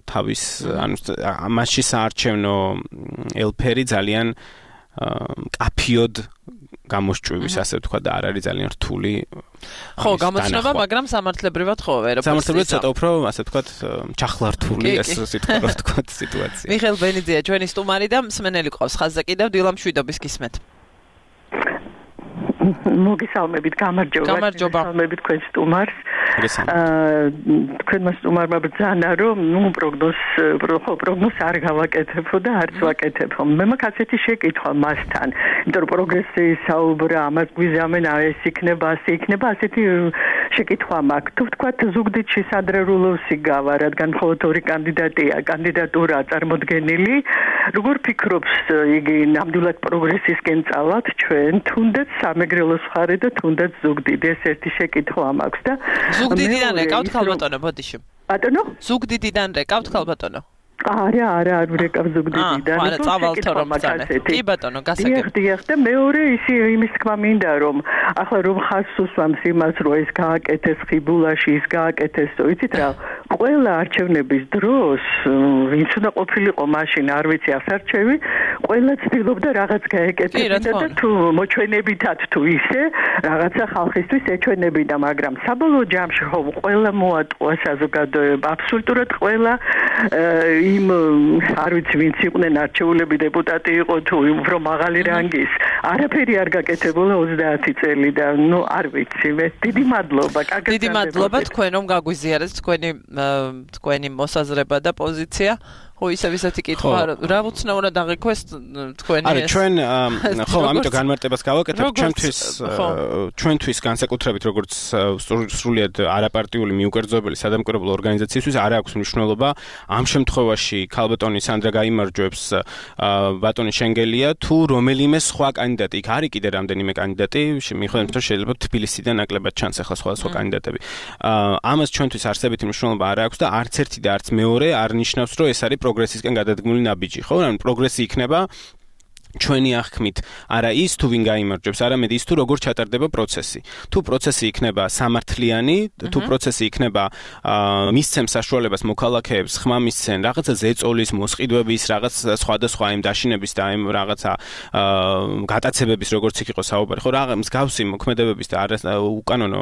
თავის, ანუ მასში საარჩევნო ელფერი ძალიან კაფიოდ გამოსჭვივის, ასე ვთქვა და არ არის ძალიან რთული. ხო, გამოცნობა, მაგრამ სამართლებრივად ხო, ვერაფერს. სამართლებრივად ცოტა უფრო, ასე ვთქვათ, ჩახლართული ეს სიტყვა, რა ვთქვათ, სიტუაცია. მიხეილ ბენიძეა ჩვენი სტუმარი და მსმენელი ყავს ხაზზე კიდევ დილამ შვიდობის გისმენთ. მოგესალმებით, გამარჯობა. გამარჯობა. მოგესალმებით თქვენ სტუმარს. აა თქვენმა სტუმარმა ბრძანა, რომ ნუ პროგნოზ, ხო, პროგნოზ არ გავაკეთებო და არც ვაკეთებო. მე მაქვს ასეთი შეკითხვა მასთან, იმიტომ რომ პროგრესის საუბრა, ამას გვიზამენ, ეს იქნება, ასე იქნება, ასეთი შეკითხვა მაქვს. თუ ვთქვათ, ზუგდიდში სანდრე რულოვსი გავა, რადგან მხოლოდ ორი კანდიდატია, კანდიდატურა წარმოდგენილი, როგორ ფიქრობს იგი ნამდვილად პროგრესისკენ წავთ ჩვენ, თუნდაც სამეგრელოს მხარე და თუნდაც ზუგდიდი, ეს ერთი შეკითხვა მაქვს და ზუგდიდიდან რეკავთ ხალბატონო, ბოდიში. ბატონო? ზუგდიდიდან რეკავთ ხალბატონო. არა, არა, არ ვირეკავ ზუგდიდიდან. არა, წავალთო რომ ბრძანე. კი ბატონო, გასაგებ. დიახ, დიახ, და მეორე ისი იმის თქმა მინდა რომ ახლა რომ ხაზს უსვამს იმას, რომ ეს გააკეთეს ხიბულაში, ის გააკეთეს, იცით რა, ყველა არჩევნების დროს, ვინც უნდა ყოფილიყო მაშინ, არ ვიცი, ასარჩევი, ყველა ცდილობდა რაღაც გაეკეთებინა და თუ მოჩვენებითად თუ ისე, რაღაცა ხალხისთვის ეჩვენებინა, მაგრამ საბოლოო ჯამში ხო ყველა მოატყუა საზოგადოება, აბსოლუტურად ყველა იმ არ ვიცი ვინც იყვნენ არჩეულები დეპუტატი იყო თუ უფრო მაღალი რანგის არაფერი არ გაკეთებულა ოცდაათი წელი და ნუ არ ვიცი მე დიდი მადლობა კარგად დიდი მადლობა თქვენ რომ გაგვიზიარეთ თქვენი თქვენი მოსაზრება და პოზიცია ხო ისე ვისეთი კითხვა რა უცნაურად აღიქვეს თქვენი არა ჩვენ ხო ამიტომ განმარტებას გავაკეთებ ჩვენთვის ჩვენთვის განსაკუთრებით როგორც სრულიად არაპარტიული მიუკერძოებელი სადამკვირვებლო ორგანიზაციისთვის არ აქვს მნიშვნელობა ამ შემთხვევაში ქალბატონი სანდრა გაიმარჯვებს ბატონი შენგელია თუ რომელიმე სხვა კანდიდატი იქ არის კიდე რამდენიმე კანდიდატი მიხედავთ რომ შეიძლება თბილისიდან ნაკლებად ჩანს ახლა სხვა სხვა კანდიდატები ამას ჩვენთვის არსებითი მნიშვნელობა არ აქვს და არც ერთი და არც მეორე არ ნიშნავს რომ ეს არის პროგრესისკენ გადადგმული ნაბიჯი, ხო? ანუ პროგრესი იქნება ჩვენი აღქმით არა ის თუ ვინ გაიმარჯვებს, არამედ ის თუ როგორ ჩატარდება პროცესი. თუ პროცესი იქნება სამართლიანი, თუ პროცესი იქნება მისცემს საშუალებას მოქალაქეებს ხმა მისცენ რაღაცა ზეწოლის, მოსყიდვების, რაღაც სხვადასხვა იმ დაშინების და იმ რაღაცა გატაცებების როგორც იქ იყო საუბარი, ხო რაღაც მსგავსი მოქმედებების და უკანონო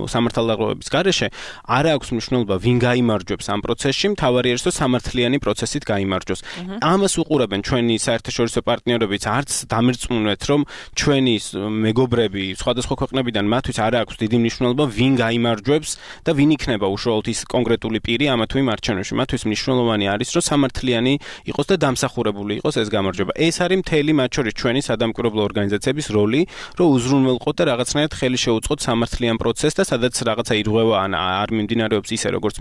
სამართალდაღობების გარეშე არ აქვს მნიშვნელობა ვინ გაიმარჯვებს ამ პროცესში, მთავარი არის რომ სამართლიანი პროცესით გაიმარჯვოს. ამას უყურებენ ჩვენი საერთაშორისო პარტნიორები არც დამერწმუნეთ რომ ჩვენი მეგობრები სხვადასხვა ქვეყნებიდან მათთვის არ აქვს დიდი მნიშვნელობა ვინ გაიმარჯვებს და ვინ იქნება უშუალოდ ის კონკრეტული პირი ამა თუ იმ არჩევნებში. მათთვის მნიშვნელოვანი არის რომ სამართლიანი იყოს და დამსახურებული იყოს ეს გამარჯვება. ეს არის მთელი მათ შორის ჩვენი სადამკვირვებლო ორგანიზაციების როლი, რომ უზრუნველყოთ და რაღაცნაირად ხელი შეუწყოთ სამართლიან პროცესს და სადაც რაღაცა ირღვევა ან არ მიმდინარეობს ისე როგორც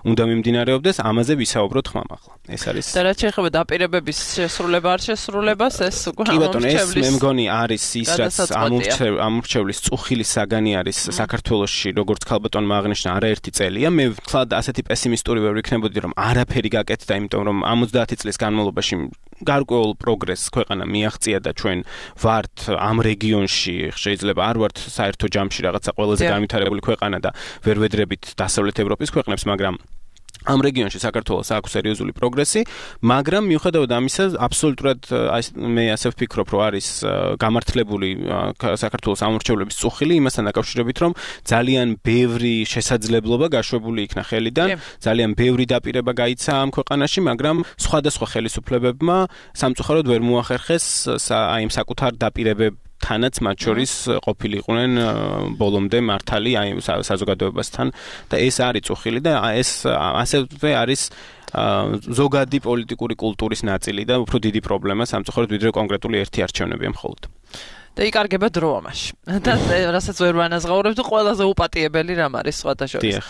უნდა მიმდინარეობდეს, ამაზე ვისაუბროთ ხმამ ახლა. ეს არის და რაც შეეხება დაპირებების შესრულება არ შესრულებას ეს უკვე კი ბატონო ეს მე მგონი არის ის რაც ამორჩევლის წუხილის საგანი არის საქართველოში როგორც ქალბატონმა აღნიშნა არაერთი წელია მე ვთქვათ ასეთი პესიმისტური ვერ ვიქნებოდი რომ არაფერი გაკეთდა იმიტომ რომ ორმოცდაათი წლის განმავლობაში გარკვეულ პროგრესს ქვეყანა მიაღწია და ჩვენ ვართ ამ რეგიონში შეიძლება არ ვართ საერთო ჯამში რაღაცა ყველაზე განვითარებული ქვეყანა და ვერ ვედრებით დასავლეთ ევროპის ქვეყნებს მაგრამ ამ რეგიონში საქართველოს აქვს სერიოზული პროგრესი, მაგრამ მიუხედავად ამისა, აბსოლუტურად მე ასე ვფიქრობ, რომ არის გამართლებული საქართველოს ამორჩევლების წუხილი იმასთან დაკავშირებით, რომ ძალიან ბევრი შესაძლებლობა გაშვებული იქნა ხელიდან, ძალიან ბევრი დაპირება გაიცა ამ ქვეყანაში, მაგრამ სხვადასხვა ხელისუფლებებმა სამწუხაროდ ვერ მოახერხეს აი ამ საკუთარ დაპირებებს თანაც მათ შორის ყოფილიყვნენ ბოლომდე მართალი აი საზოგადოებასთან და ეს არის წუხილი და ეს ასევე არის ზოგადი პოლიტიკური კულტურის ნაწილი და უფრო დიდი პრობლემა სამწუხაროდ ვიდრე კონკრეტული ერთი არჩევნებია მხოლოდ. და იკარგება დრო ამაში. და რასაც ვერ ვანაზღაურებ თუ ყველაზე უპატიებელი რამ არის სხვათა შორის.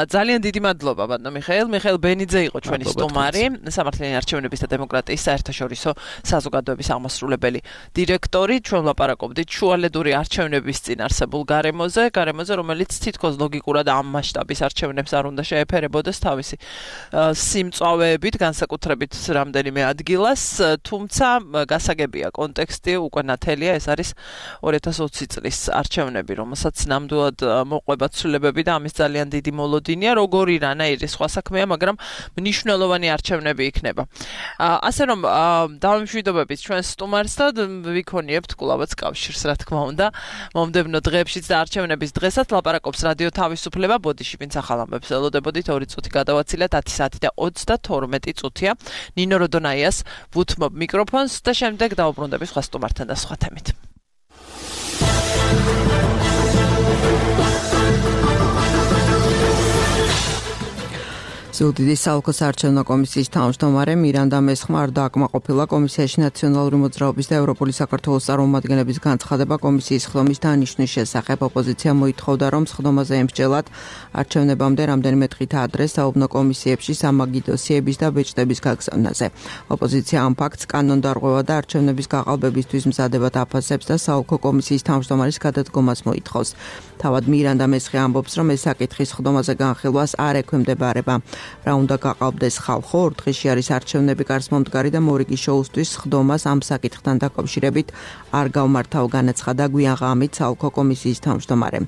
ძალიან დიდი მადლობა ბატონო მიხეილ. მიხეილ ბენიძე იყო ჩვენი სტუმარი, სამართლიანი არჩევნების და დემოკრატიის საერთაშორისო საზოგადოების აღმასრულებელი დირექტორი. ჩვენ ვლაპარაკობდით შუალედური არჩევნების წინ არსებულ გარემოზე, გარემოზე რომელიც თითქოს ლოგიკურად ამ მასშტაბის არჩევნებს არ უნდა შეეფერებოდეს თავისი სიმწვავეებით, განსაკუთრებით რამდენიმე ადგილას, თუმცა გასაგებია კონტექსტი უკვე ნათელია ეს არის ორი ათას ოცი წლის არჩევნები, რომელსაც ნამდვილად მოყვება ცვლილებები და ამის ძალიან დიდი მოლოდინია, როგორი რანაირი სხვა საქმეა, მაგრამ მნიშვნელოვანი არჩევნები იქნება. ასე რომ დავამშვიდობებით ჩვენს სტუმარს და ვიქონიებთ კვლავაც კავშირს, რა თქმა უნდა, მომდევნო დღეებშიც და არჩევნების დღესაც ლაპარაკობს რადიო თავისუფლება, ბოდიში ვინც ახალ ამბებს ელოდებოდით, ორი წუთი გადავაცილეთ, ათი საათი და ოცდათორმეტი წუთია. ნინო როდონაიას ვუთმობ მიკროფონს და შემდეგ დავუბრუნდები სხვა სტუმართან და სხვა თემით. ზუგდიდის საოლქო საარჩევნო კომისიის თავმჯდომარე მირანდა მესხმა არ დააკმაყოფილა კომისიაში ნაციონალური მოძრაობის და ევროპული საქართველოს წარმომადგენლების განცხადება კომისიის ხდომის დანიშვნის შესახებ. ოპოზიცია მოითხოვდა, რომ სხდომაზე ემსჯელად არჩევნებამდე რამდენიმე დღით ადრე საუბნო კომისიებში სამაგიდო დოსიების და ბეჭდების გაგზავნაზე. ოპოზიცია ამ ფაქტს კანონდარღვევა და არჩევნების გაყალბებისთვის მზადებად აფასებს და საოლქო კომისიის თავმჯდომარის გადადგომას მოითხოვს. თავად მირანდა მესხი ამბობს, რომ ეს საკითხი სხდომაზე განხილვას არ ექვემდებარება. რა უნდა გაყალბდეს ხალხო, ორ დღეში არის არჩევნები გარს მომდგარი და მორიგი შოუსთვის სხდომას ამ საკითხთან დაკავშირებით არ გავმართავ, განაცხადა გვიან ღამით საოლქო კომისიის თავმჯდომარე.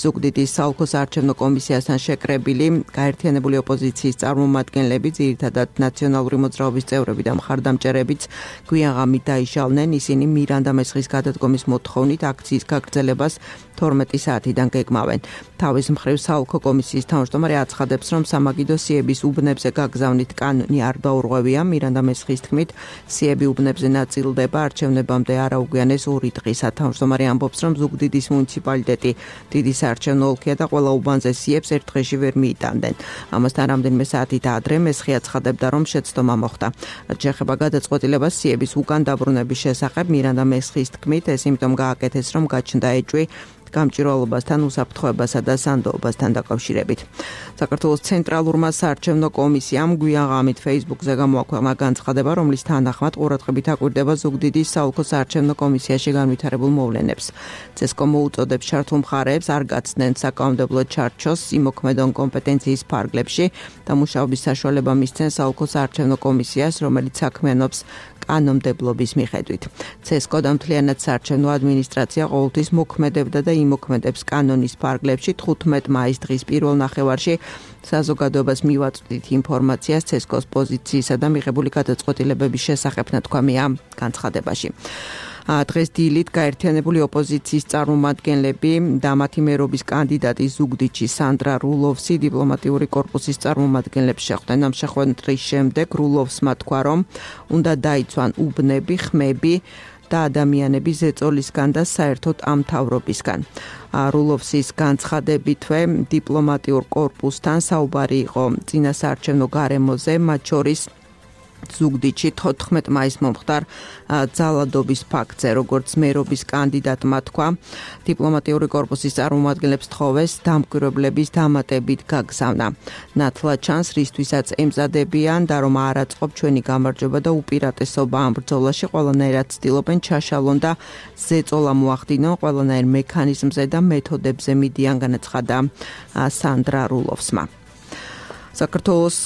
ზუგდიდის საოლქო საარჩევნო კომისიასთან შეკრებილი გაერთიანებული ოპოზიციის წარმომადგენლები, ძირითადად ნაციონალური მოძრაობის წევრები და მხარდამჭერებიც გვიან ღამით დაიშალნენ, ისინი მირანდა მესხის გადადგომის მოთხოვნით აქციის გაგრძელებას თორმეტი საათიდან გეგმავენ. თავის მხრივ საოლქო კომისიის თავმჯდომარე აცხადებს, რომ სამაგიდო სიების უბნებზე გაგზავნით კანონი არ დაურღვევია. მირანდა მესხის თქმით, სიები უბნებზე ნაწილდება არჩევნებამდე არაუგვიანეს ორი დღისა. თავმჯდომარე ამბობს, რომ ზუგდიდის მუნიციპალიტეტი დიდი საარჩევნო ოლქია და ყველა უბანზე სიებს ერთ დღეში ვერ მიიტანდნენ. ამასთან რამდენიმე საათით ადრე მესხი აცხადებდა, რომ შეცდომა მოხდა. რაც შეეხება გადაწყვეტილებას სიების უკან დაბრუნების შესახებ, მირანდა მესხის თქმით, ეს იმიტომ გააკეთეს, რომ გაჩნდა ეჭვი გამჭირვალობასთან, უსაფრთხოებასა და სანდოობასთან დაკავშირებით. საქართველოს ცენტრალურმა საარჩევნო კომისიამ გვიან ღამით Facebook-ზე გამოაქვეყნა განცხადება, რომლის თანახმად ყურადღებით აკვირდება ზუგდიდის საოლქო საარჩევნო კომისიაში განვითარებულ მოვლენებს. ცესკომ მოუწოდებს ჩართულ მხარეებს არ გაცდნენ საკანონმდებლო ჩარჩოს იმოქმედონ კომპეტენციის ფარგლებში და მუშაობის საშუალება მისცენ საოლქო საარჩევნო კომისიას, რომელიც საქმიანობს კანონმდებლობის მიხედვით. ცესკო და მთლიანად საარჩევნო ადმინისტრაცია ყოველთვის მოქმედებდა და იმოქმედებს კანონის ფარგლებში. თხუთმეტ მაისს დღის პირველ ნახევარში საზოგადოებას მივაწვდით ინფორმაციას ცესკოს პოზიციისა და მიღებული გადაწყვეტილებების შესახებ ნათქვამია განცხადებაში. დღეს დილით გაერთიანებული ოპოზიციის წარმომადგენლები და მათი მერობის კანდიდატი ზუგდიდში სანდრა რულოვსი დიპლომატიური კორპუსის წარმომადგენლებს შეხვდნენ. ამ შეხვედრის შემდეგ რულოვსმა თქვა, რომ უნდა დაიცვან უბნები, ხმები და ადამიანები ზეწოლისგან და საერთოდ ამ მთავრობისგან. რულოვსის განცხადებითვე დიპლომატიურ კორპუსთან საუბარი იყო წინასაარჩევნო გარემოზე, მათ შორის ზუგდიდში თოთხმეტ მაისს მომხდარ ძალადობის ფაქტზე, როგორც მერობის კანდიდატმა თქვა, დიპლომატიური კორპუსის წარმომადგენლებს თხოვეს დამკვირვებლების დამატებით გაგზავნა. ნათლად ჩანს, რისთვისაც ემზადებიან და რომ არ აწყობ ჩვენი გამარჯვება და უპირატესობა ამ ბრძოლაში, ყველანაირად ცდილობენ ჩაშალონ და ზეწოლა მოახდინონ ყველანაირ მექანიზმზე და მეთოდებზე მიდიან, განაცხადა სანდრა რულოვსმა. საქართველოს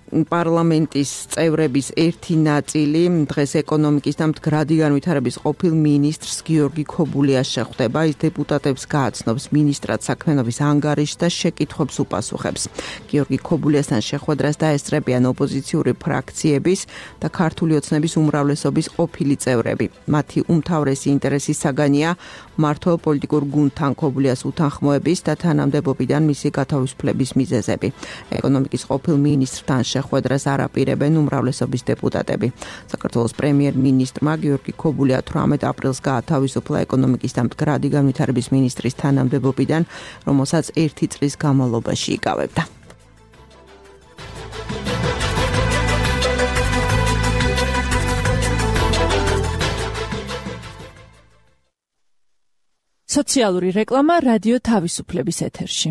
პარლამენტის წევრების ერთი ნაწილი დღეს ეკონომიკის და მდგრადი განვითარების ყოფილ მინისტრს გიორგი ქობულიას შეხვდება. ის დეპუტატებს გააცნობს მინისტრად საქმიანობის ანგარიშს და შეკითხვებს უპასუხებს. გიორგი ქობულიასთან შეხვედრას დაესწრებიან ოპოზიციური ფრაქციების და ქართული ოცნების უმრავლესობის ყოფილი წევრები. მათი უმთავრესი ინტერესი საგანია მმართველ პოლიტიკურ გუნდთან ქობულიას უთანხმოების და თანამდებობიდან მისი გათავისუფლების მიზეზები. ეკონომიკის ყოფილ მინისტრთან შეხვედრას არ აპირებენ უმრავლესობის დეპუტატები. საქართველოს პრემიერ-მინისტრმა გიორგი ქობულია თვრამეტ აპრილს გაათავისუფლა ეკონომიკის და მდგრადი განვითარების მინისტრის თანამდებობიდან, რომელსაც ერთი წლის განმავლობაში იკავებდა. სოციალური რეკლამა რადიო თავისუფლების ეთერში.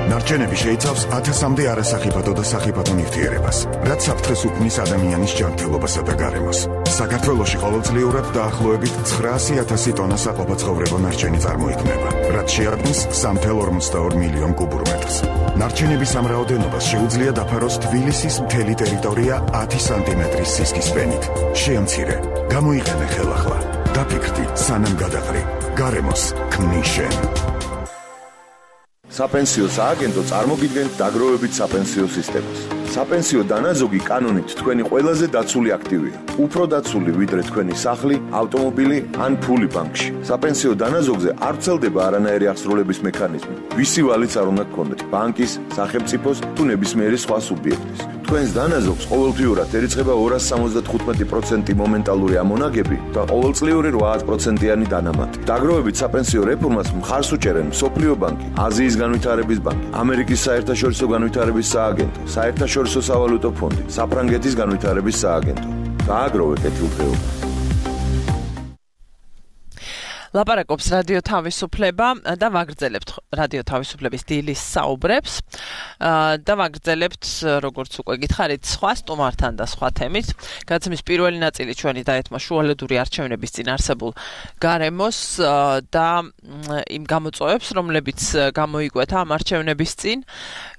ნარჩენები შეიცავს ათასამდე არასახიფათო და სახიფათო ნივთიერებას, რაც საფრთხეს უქმნის ადამიანის ჯანმრთელობასა და გარემოს. საქართველოში ყოველწლიურად დაახლოებით ცხრაასი ათასი ტონა საყოფაცხოვრებო ნარჩენი წარმოიქმნება, რაც შეადგენს სამი წუთი ორმოცდაორი მილიონ კუბურ მეტრს. ნარჩენების ამ რაოდენობას შეუძლია დაფაროს თბილისის მთელი ტერიტორია ათი სანტიმეტრის სისქის ფენით. შეამცირე, გამოიყენე ხელახლა. დაფიქრდი, სანამ გადაყრი. გარემოს ქმნის შენ. საპენსიო სააგენტო წარმოგიდგენთ დაგროვებით საპენსიო სისტემას. საპენსიო დანაზოგი კანონით თქვენი ყველაზე დაცული აქტივია. უფრო დაცული ვიდრე თქვენი სახლი, ავტომობილი ან ფული ბანკში. საპენსიო დანაზოგზე არ ვრცელდება არანაირი აღსრულების მექანიზმი. ვისი ვალიც არ უნდა გქონდეთ, ბანკის, სახელმწიფოს თუ ნებისმიერი სხვა სუბიექტის. თქვენს დანაზოგს ყოველთვიურად ერიცხება ორასი სამოცდათხუთმეტი პროცენტი მომენტალური ამონაგები და ყოველწლიური რვა პროცენტიანი დანამატი. დაგროვებით საპენსიო რეფორმას მხარს უჭერენ მსოფლიო ბანკი, აზიის განვითარების ბანკი, ამერიკის საერთაშორისო განვითარების სააგენტო, საერთაშორისო სავალუტო ფონდი, საფრანგეთის განვითარების სააგენტო. დააგროვე კეთილდღეობა. ლაპარაკობს რადიო თავისუფლება და ვაგრძელებთ რადიო თავისუფლების დილის საუბრებს და ვაგრძელებთ, როგორც უკვე გითხარით, სხვა სტუმართან და სხვა თემით. გადაცემის პირველი ნაწილი ჩვენი დაეთმო შუალედური არჩევნების წინ არსებულ გარემოს და იმ გამოწვევებს, რომლებიც გამოიკვეთა ამ არჩევნების წინ,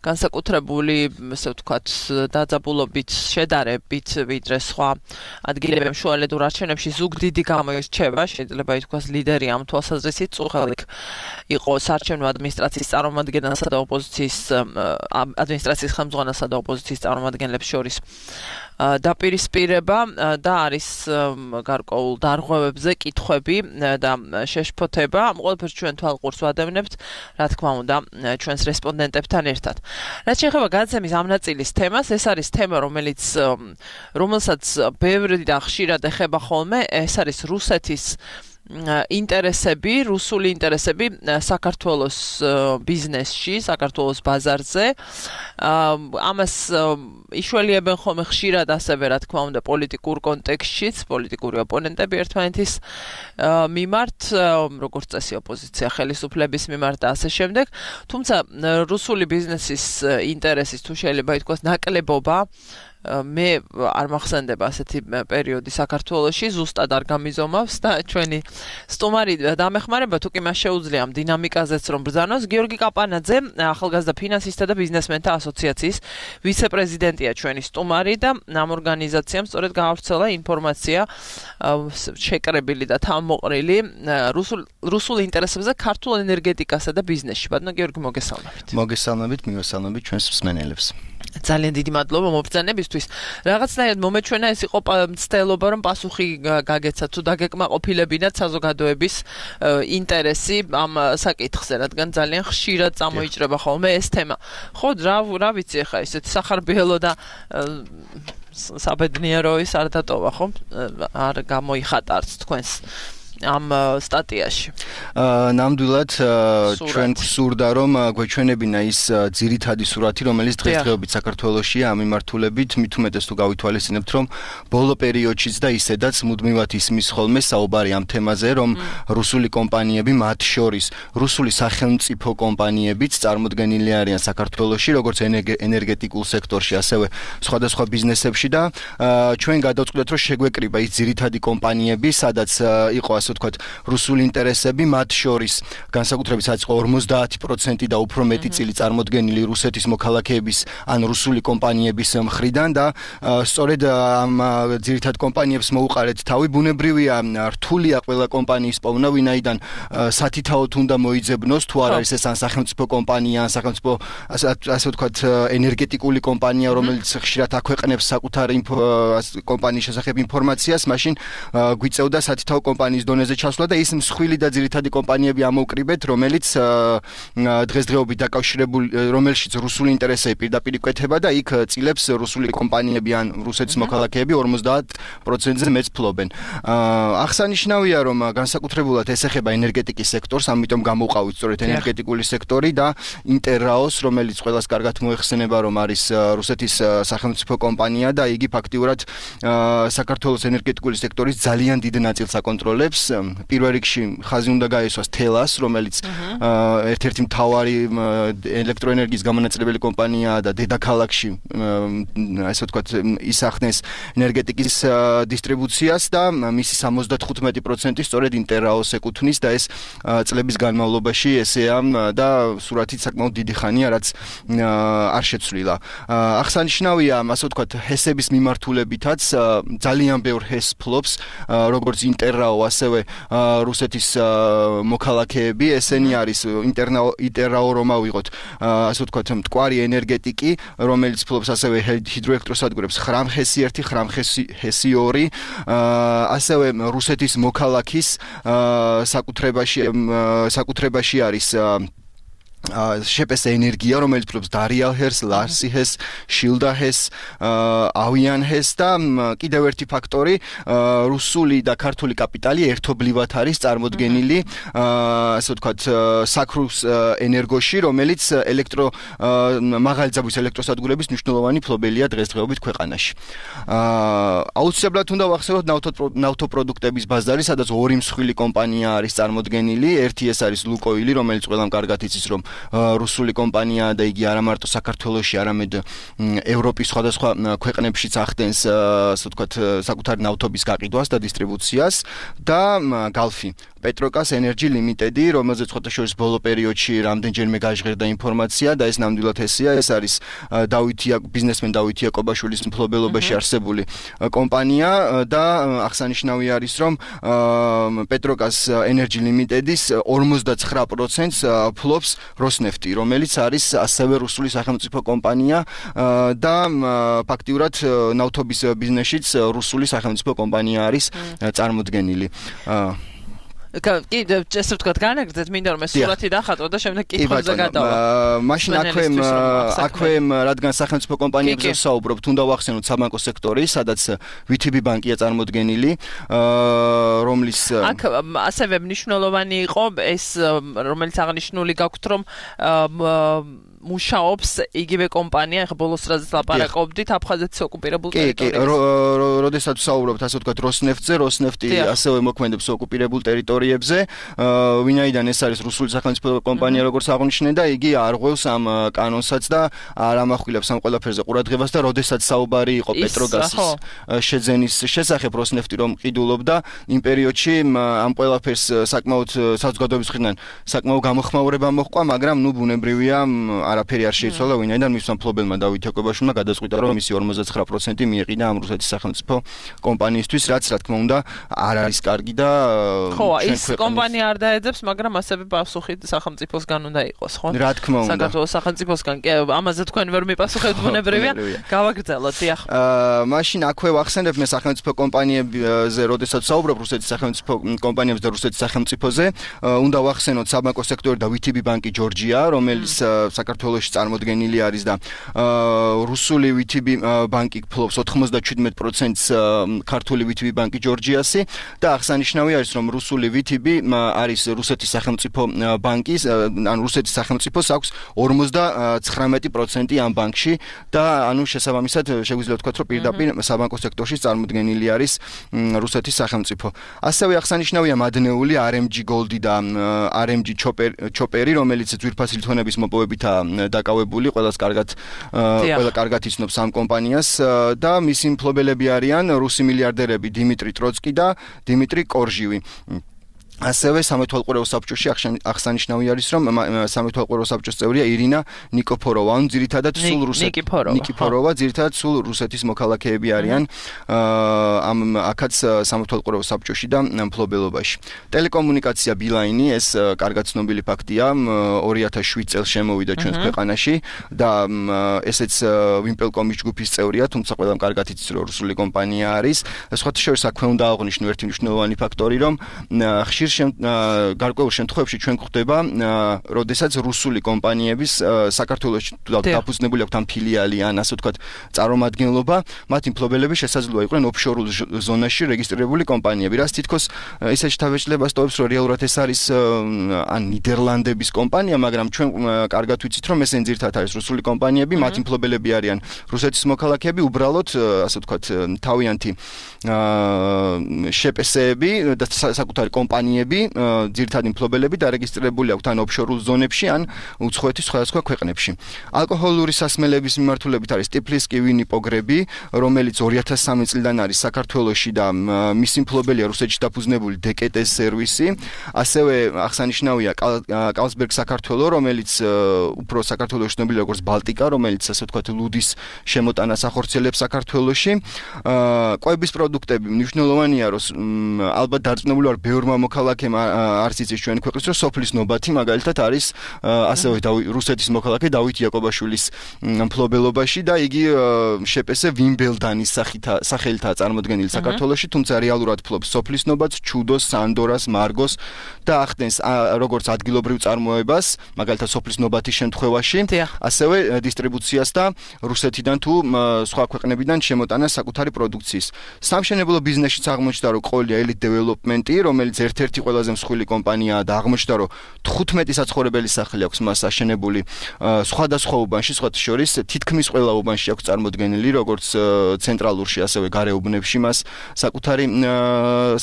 განსაკუთრებული, ასე ვთქვათ, დაძაბულობით, შედარებით, ვიდრე სხვა ადგილებში შუალედურ არჩევნებში ზუგდიდი გამოირჩევა, შეიძლება ითქვას ლიდერი ამ თვალსაზრისით. წუხელიქ იყო საარჩევნო ადმინისტრაციის წარმომადგენელსა და ოპოზიციის ადმინისტრაციის ხელმძღვანელსა და ოპოზიციის წარმომადგენლებს შორის დაპირისპირება და არის გარკვეულ დარღვევებზე კითხვები და შეშფოთება. ამ ყველაფერს ჩვენ თვალყურს ვადევნებთ, რა თქმა უნდა, ჩვენს რესპონდენტებთან ერთად. რაც შეეხება გადაცემის ამ ნაწილის თემას, ეს არის თემა, რომელიც რომელსაც ბევრი და ხშირად ეხება ხოლმე, ეს არის რუსეთის ინტერესები, რუსული ინტერესები საქართველოს ბიზნესში, საქართველოს ბაზარზე. ამას იშველიებენ ხოლმე ხშირად ასევე, რა თქმა უნდა, პოლიტიკურ კონტექსტშიც, პოლიტიკური ოპონენტები ერთმანეთის მიმართ, როგორც წესი ოპოზიცია ხელისუფლების მიმართ და ასე შემდეგ. თუმცა რუსული ბიზნესის ინტერესის თუ შეიძლება ითქვას ნაკლებობა მე არ მახსენდება ასეთი პერიოდი საქართველოში, ზუსტად არ გამიზომავს და ჩვენი სტუმარი დამეხმარება თუ კი მას შეუძლია ამ დინამიკაზეც რომ ბრძანოს. გიორგი კაპანაძე, ახალგაზრდა ფინანსისტთა და ბიზნესმენთა ასოციაციის ვიცე-პრეზიდენტია ჩვენი სტუმარი და ამ ორგანიზაციამ სწორედ გაავრცელა ინფორმაცია შეკრებილი და თავმოყრილი რუსულ რუსულ ინტერესებზე ქართულ ენერგეტიკასა და ბიზნესში. ბატონო გიორგი, მოგესალმებით. მოგესალმებით, მივესალმებით ჩვენს მსმენელებს. ძალიან დიდი მადლობა მობრძანებისთვის. რაღაცნაირად მომეჩვენა ეს იყო მცდელობა რომ პასუხი გაგეცათ თუ დაგეკმაყოფილებინათ საზოგადოების ინტერესი ამ საკითხზე, რადგან ძალიან ხშირად წამოიჭრება ხოლმე ეს თემა. ხო, რა რა ვიცი ახლა ესეთი სახარბიელო და საბედნიერო ის არ დატოვა, ხო? არ გამოიხატა არც თქვენს ამ სტატიაში. ნამდვილად ჩვენ გვსურდა რომ გვეჩვენებინა ის ძირითადი სურათი, რომელიც დღესდღეობით საქართველოშია ამ მიმართულებით, მით უმეტეს თუ გავითვალისწინებთ, რომ ბოლო პერიოდშიც და ისედაც მუდმივად ისმის ხოლმე საუბარი ამ თემაზე, რომ რუსული კომპანიები, მათ შორის რუსული სახელმწიფო კომპანიებიც წარმოდგენილი არიან საქართველოში, როგორც ენერგეტიკულ სექტორში, ასევე სხვადასხვა ბიზნესებში და ჩვენ გადავწყვიტეთ, რომ შეგვეკრიბა ის ძირითადი კომპანიები, სადაც იყო ასე ვთქვათ, რუსული ინტერესები, მათ შორის განსაკუთრებით საწყო ორმოცდაათი პროცენტი და უფრო მეტი წილი წარმოდგენილი რუსეთის მოქალაქეების ან რუსული კომპანიების მხრიდან და სწორედ ამ ძირითად კომპანიებს მოუყარეთ თავი. ბუნებრივია, რთულია ყველა კომპანიის პოვნა, ვინაიდან სათითაოდ უნდა მოიძებნოს, თუ არ არის ეს ან სახელმწიფო კომპანია, ან სახელმწიფო ასე ვთქვათ, ენერგეტიკული კომპანია, რომელიც ხშირად აქვეყნებს საკუთარ კომპანიის შესახებ ინფორმაციას, მაშინ გვიწევდა სათითაო კომპანიის დონეზე ჩასვლა და ის მსხვილი და ძირითადი კომპანიები ამოვკრიბეთ, რომელიც დღესდღეობით დაკავშირებული, რომელშიც რუსული ინტერესები პირდაპირ იკვეთება და იქ წილებს რუსული კომპანიები ან რუსეთის მოქალაქეები ორმოცდაათ პროცენტზე მეც ფლობენ. აღსანიშნავია, რომ განსაკუთრებულად ეს ეხება ენერგეტიკის სექტორს, ამიტომ გამოვყავით სწორედ ენერგეტიკული სექტორი და ინტერრაოს, რომელიც ყველას კარგად მოეხსენება, რომ არის რუსეთის სახელმწიფო კომპანია და იგი ფაქტიურად საქართველოს ენერგეტიკული სექტორის ძალიან დიდ ნაწილს აკონტროლებს. პირველ რიგში ხაზი უნდა გაესვას თელას, რომელიც ერთ-ერთი მთავარი ელექტროენერგიის გამონაწილებელი კომპანიაა და დედაქალაქში ასე ვთქვათ ისახნეს ენერგეტიკის დისტრიბუციას და მისი სამოცდათხუთმეტი პროცენტი სწორედ ინტერრაოს ეკუთვნის და ეს წლების განმავლობაში ესეა და სურათით საკმაოდ დიდი ხანია, რაც არ შეცვლილა. აღსანიშნავია, ასე ვთქვათ, ჰესების მიმართულებითაც ძალიან ბევრ ჰეს ფლობს, როგორც ინტერრაო, ასევე რუსეთის მოქალაქეები, ესენი არის ინტერრაო რომ ავიღოთ, ასე ვთქვათ, მტკვარი ენერგეტიკი, რომელიც ფლობს ასევე ჰიდროელექტროსადგურებს ხრამხესი ერთი, ხრამხესი ორი, ასევე რუსეთის მოქალაქის საკუთრებაში საკუთრებაში არის შეპეს ენერგია, რომელიც ფლობს დარიალჰეს, ლარსიჰეს, შილდაჰეს, ავიანჰეს და კიდევ ერთი ფაქტორი, რუსული და ქართული კაპიტალი ერთობლივად არის წარმოდგენილი, ასე ვთქვათ, საქრუს ენერგოში, რომელიც ელექტრო მაღალი ძაბვის ელექტროსადგურების მნიშვნელოვანი ფლობელია დღესდღეობით ქვეყანაში. აუცილებლად უნდა ვახსენოთ ნავთობპროდუქტების ბაზარი, სადაც ორი მსხვილი კომპანია არის წარმოდგენილი, ერთი ეს არის ლუკოილი, რომელიც ყველამ კარგად იცის, რომ რუსული კომპანია და იგი არა მარტო საქართველოში, არამედ ევროპის სხვადასხვა ქვეყნებშიც ახდენს, ასე ვთქვათ, საკუთარი ნავთობის გაყიდვას და დისტრიბუციას და გალფი პეტროკას ენერჯი ლიმიტედი, რომელზეც ხოთაშორის ბოლო პერიოდში რამდენჯერმე გაჟღერდა ინფორმაცია და ეს ნამდვილად ესეა, ეს არის დავით ბიზნესმენ დავით იაკობაშვილის მფლობელობაში არსებული კომპანია და აღსანიშნავი არის, რომ პეტროკას ენერჯი ლიმიტედის ორმოცდაცხრა პროცენტს ფლობს როსნეფტი, რომელიც არის ასევე რუსული სახელმწიფო კომპანია და ფაქტიურად ნავთობის ბიზნესშიც რუსული სახელმწიფო კომპანია არის წარმოდგენილი. კი, ესე ვთქვათ, განაგრძეთ, მინდა რომ ეს სურათი დახატო და შემდეგ კითხვებზე გადავა. მაშინ აქვე აქვე რადგან სახელმწიფო კომპანიებზე საუბრობთ, უნდა ვახსენოთ საბანკო სექტორი, სადაც ვი თი ბი ბანკია წარმოდგენილი, რომლის აქ ასევე მნიშვნელოვანი იყო ეს, რომელიც აღნიშნული გაქვთ, რომ მუშაობს იგივე კომპანია, ახლა ბოლოს რაზეც ლაპარაკობდით, აფხაზეთის ოკუპირებულ ტერიტორიაზე. კი, კი, როდესაც ვსაუბრობთ, ასე ვთქვათ, როსნეფტზე, როსნეფტი ასევე მოქმედებს ოკუპირებულ ტერიტორიებზე, ვინაიდან ეს არის რუსული სახელმწიფო კომპანია, როგორც აღნიშნე და იგი არღვევს ამ კანონსაც და არ ამახვილებს ამ ყველაფერზე ყურადღებას და როდესაც საუბარი იყო პეტროგაზის შეძენის შესახებ როსნეფტი რომ ყიდულობდა იმ პერიოდში ამ ყველაფერს საკმაოდ საზოგადოების მხრიდან საკმაოდ გამოხმაურება მოჰყვა, მაგრამ ნუ ბუნებრივია არაფერი არ შეიცვალა, ვინაიდან მისმა მფლობელმა დავით იაკობაშვილმა გადაწყვიტა რომ მისი ორმოცდათხრა პროცენტი მიეყიდა ამ რუსეთის სახელმწიფო კომპანიისთვის, რაც რა თქმა უნდა არ არის კარგი და ხო, ის კომპანია არ დაეძებს, მაგრამ ასევე პასუხი სახელმწიფოსგან უნდა იყოს, ხო? რა თქმა უნდა. საქართველოს სახელმწიფოსგან კი ამაზე თქვენ ვერ მიპასუხებთ, ბუნებრივია. გავაგრძელოთ, დიახ. აა მაშინ აქვე ვახსენებ მე სახელმწიფო კომპანიებზე, როდესაც საუბრობ რუსეთის სახელმწიფო კომპანიებზე და რუსეთის სახელმწიფოზე, უნდა ვახსენოთ საბანკო სექტორი და ვიტიბი ბანკი ჯორჯია, რომელიც საქართველოში წარმოდგენილი არის და რუსული ვიტიბი ბანკი ფლობს ოთხმოცდაჩვიდმეტ პროცენტს ქართული ვიტიბი ბანკი ჯორჯიასი და აღსანიშნავი არის რომ რუსული ვიტიბი არის რუსეთის სახელმწიფო ბანკის ან რუსეთის სახელმწიფოს აქვს ორმოცდაცხრამეტი პროცენტი ამ ბანკში და ანუ შესაბამისად შეგვიძლია ვთქვათ რომ პირდაპირ საბანკო სექტორში წარმოდგენილი არის რუსეთის სახელმწიფო. ასევე აღსანიშნავია მადნეული არ ემ ჯი Gold და არ ემ ჯი ჩოპერი, რომელიც ძვირფასი ლითონების მოპოვებითაა დაკავებული, ყველას კარგად ყველა კარგად იცნობს ამ კომპანიას და მისი მფლობელები არიან რუსი მილიარდერები დიმიტრი ტროცკი და დიმიტრი კორჟივი. ასევე სამეთვალყურეო საბჭოში აღსანიშნავი არის რომ სამეთვალყურეო საბჭოს წევრია ირინა ნიკიფოროვა, ანუ ძირითადად სულ რუსეთი ნიკიფოროვა, ძირითადად სულ რუსეთის მოქალაქეები არიან ამ აქაც სამეთვალყურეო საბჭოში და მფლობელობაში. ტელეკომუნიკაცია ბილაინი, ეს კარგად ცნობილი ფაქტია, ორი ათას შვიდ წელს შემოვიდა ჩვენს ქვეყანაში და ესეც ვიმპელკომის ჯგუფის წევრია, თუმცა ყველამ კარგად იცის რომ რუსული კომპანია არის. სხვათა შორის აქვე უნდა აღვნიშნო ერთი მნიშვნელოვანი ფაქტორი, რომ გარკვეულ შემთხვევებში ჩვენ გვხვდება, როდესაც რუსული კომპანიების საქართველოში დაფუძნებული აქვთ ამ ფილიალი ან ასე ვთქვათ წარმომადგენლობა, მათი მფლობელები შესაძლოა იყვნენ ოფშორულ ზონაში რეგისტრირებული კომპანიები, რაც თითქოს ისეთი თავშეშლებას ტოვებს, რომ რეალურად ეს არის ან ნიდერლანდების კომპანია, მაგრამ ჩვენ კარგად ვიცით, რომ ესენი ძირითადად არის რუსული კომპანიები, მათი მფლობელები არიან რუსეთის მოქალაქეები, უბრალოდ ასე ვთქვათ თავიანთი შეპესეები და საკუთარი კომპანია ძირითადი მფლობელები დარეგისტრირებული აქვთ ან ოფშორულ ზონებში ან უცხოეთის სხვადასხვა ქვეყნებში. ალკოჰოლური სასმელების მიმართულებით არის ტიფლისკი ვინი პოგრები, რომელიც ორი ათას სამი წლიდან არის საქართველოში და მისი მფლობელია რუსეთში დაფუძნებული დე კე ტე სერვისი. ასევე აღსანიშნავია კალსბერგ საქართველო, რომელიც უფრო საქართველოში ცნობილი როგორც ბალტიკა, რომელიც ასე ვთქვათ ლუდის შემოტანას ახორციელებს საქართველოში. კვების პროდუქტები მნიშვნელოვანია, რომ ალბათ დარწმუნებული ვარ ბევრმა მოქალაქემ არც იცის ჩვენ ქვეყნის რომ სოფლის ნობათი მაგალითად არის ასევე რუსეთის მოქალაქე დავით იაკობაშვილის მფლობელობაში და იგი შეპესე ვიმბელდანის სახელითაა წარმოდგენილი საქართველოში, თუმცა რეალურად ფლობს სოფლის ნობათს, ჩუდოს, სანდორას, მარგოს და ახდენს როგორც ადგილობრივ წარმოებას, მაგალითად სოფლის ნობათის შემთხვევაში, ასევე დისტრიბუციას და რუსეთიდან თუ სხვა ქვეყნებიდან შემოტანას საკუთარი პროდუქციის. სამშენებლო ბიზნესშიც აღმოჩნდა რომ ყოლია ელიტ დეველოპმენტი, რომელიც ერთ-ერთი ყველაზე მსხვილი კომპანიაა და აღმოჩნდა რომ თხუთმეტი საცხოვრებელი სახლი აქვს მას აშენებული სხვადასხვა უბანში, სხვათა შორის თითქმის ყველა უბანში აქვს წარმოდგენილი როგორც ცენტრალურში, ასევე გარეუბნებში მას საკუთარი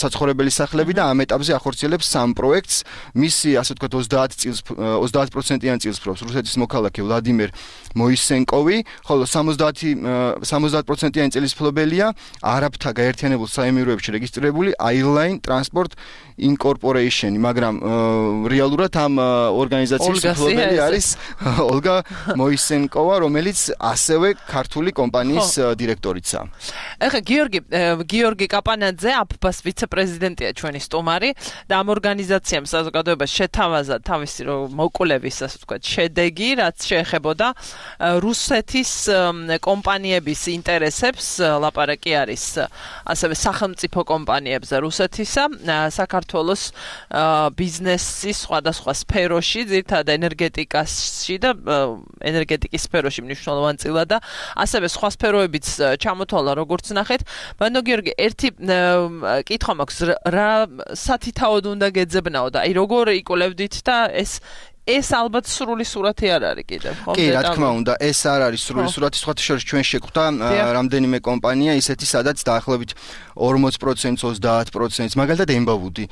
საცხოვრებელი სახლები და ამ ეტაპზე ახორციელებს სამ პროექტს. მისი ასე ვთქვათ ოცდაათ წელს ოცდაათ პროცენტიან წელს ფლობს რუსეთის მოქალაქე ვლადიმერ მოისენკოვი, ხოლო სამოცდაათ პროცენტიანი წელის მფლობელია არაბთა გაერთიანებულ საემიროებში რეგისტრირებული Airline Transport Incorporation, მაგრამ რეალურად ამ ორგანიზაციის მფლობელი არის ოლგა მოისენკოვა, რომელიც ასევე ქართული კომპანიის დირექტორიცაა. ეხლა გიორგი გიორგი კაპანაძე, აფ-ბას ვიცე-პრეზიდენტია ჩვენი სტუმარი და ამ ორგანიზაციამ საზოგადოებას შეთავაზა თავისი მოკვლევის, ასე ვთქვათ, შედეგი, რაც შეეხებოდა რუსეთის კომპანიების ინტერესებს, ლაპარაკი არის ასევე სახელმწიფო კომპანიებზე რუსეთისა, საქართველოს ბიზნესის სხვადასხვა სფეროში, ძირითადად ენერგეტიკაში და ენერგეტიკის სფეროში მნიშვნელოვანწილად და ასევე სხვა სფეროებიც ჩამოთვალა, როგორც ნახეთ. ბანდო გიორგი, ერთი კითხვა მაქვს, რა სათითაოდ უნდა გეძებნაო და აი როგორ იკვლევდით და ეს ეს ალბათ სრული სურათი არ არის კიდევ, ხო? კი, რა თქმა უნდა, ეს არ არის სრული სურათი, სხვათა შორის ჩვენ შეგვხვდა რამდენიმე კომპანია ისეთი, სადაც დაახლოებით ორმოც პროცენტს, ოცდაათ პროცენტს, მაგალითად ემბავუდი.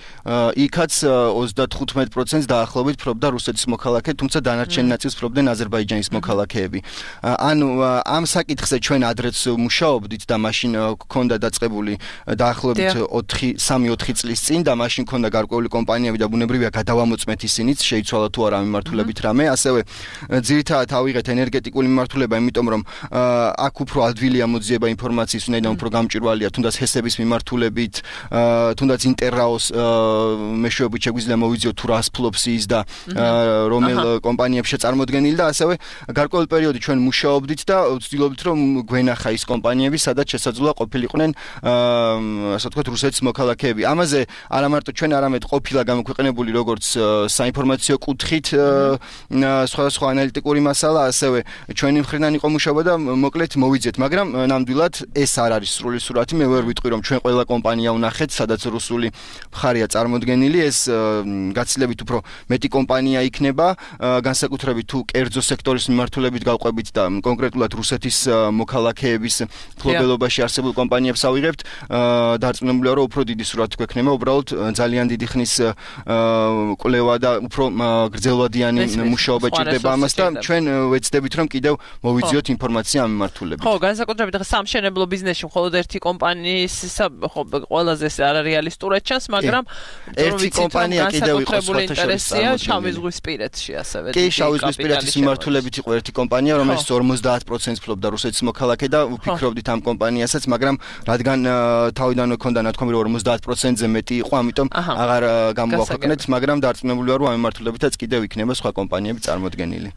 იქაც ოცდათხუთმეტ პროცენტს დაახლოებით ფლობდა რუსეთის მოქალაქე, თუმცა დანარჩენ ნაწილს ფლობდნენ აზერბაიჯანის მოქალაქეები. ანუ ამ საკითხზე ჩვენ ადრეც მუშაობდით და მაშინ გქონდა დაწყებული დაახლოებით ოთხი სამი ოთხი წლის წინ და მაშინ გქონდა გარკვეული კომპანიები და ბუნებრივია გადავამოწმეთ ისინიც, შეიცვალა თუ არა მიმართულებით რამე, ასევე ძირითადად ავიღეთ ენერგეტიკული მიმართულება, იმიტომ რომ აქ უფრო ადვილია მოძიება ინფორმაციის, ვინაიდან უფრო გამჭვირვალეა თუნდაც ჰესების მიმართულებით, თუნდაც ინტერრაოს მეშვეობით შეგვიძლია მოვიძიოთ თუ რას ფლობს ის და რომელ კომპანიებში წარმოდგენილი და ასევე გარკვეული პერიოდი ჩვენ მუშაობდით და ვცდილობდით რომ გვენახა ის კომპანიები, სადაც შესაძლოა ყოფილიყვნენ ასე ვთქვათ რუსეთის მოქალაქეები. ამაზე არა მარტო ჩვენ არამედ ყოფილა გამოქვეყნებული როგორც საინფორმაციო კუთხით სხვადასხვა ანალიტიკური მასალა, ასევე ჩვენი მხრიდან იყო მუშაობა და მოკლედ მოვიძიეთ, მაგრამ ნამდვილად ეს არ არის სრული სურათი. მე ვერ ვიტყვი რომ ჩვენ ყველა კომპანია ვნახეთ, სადაც რუსული მხარეა წარმოდგენილი, ეს გაცილებით უფრო მეტი კომპანია იქნება, განსაკუთრებით თუ კერძო სექტორის მიმართულებით გავყვებით და კონკრეტულად რუსეთის მოქალაქეების ფლობელობაში არსებულ კომპანიებს ავიღებთ, დარწმუნებულია რომ უფრო დიდი სურათი გვექნება, უბრალოდ ძალიან დიდი ხნის კვლევა და უფრო გრძელვადიანი მუშაობა ჭირდება ამას და ჩვენ ვეცდებით რომ კიდევ მოვიძიოთ ინფორმაცია ამ მიმართულებით. ხო, განსაკუთრებით ახლა სამშენებლო ბიზნესში მხოლოდ ერთი კომპანიის ხო ყველაზე არ რეალისტურად ჩანს, მაგრამ ერთი კომპანია კიდევ იყო ინტერესია შავი ზღვისპირეთში ასევე. კი, შავი ზღვისპირეთის მიმართულებით იყო ერთი კომპანია, რომელიც ორმოცდაათ პროცენტს ფლობდა რუსეთის მოქალაქე და ვფიქრობდით ამ კომპანიასაც, მაგრამ რადგან თავიდანვე ქონდა ნათქვამი რომ ორმოცდაათ პროცენტზე მეტი იყო, ამიტომ აღარ გამოვაქვეყნეთ, მაგრამ დარწმუნებულია რომ ამ მიმართულებითაც კიდევ იქნება სხვა კომპანიები წარმოდგენილი.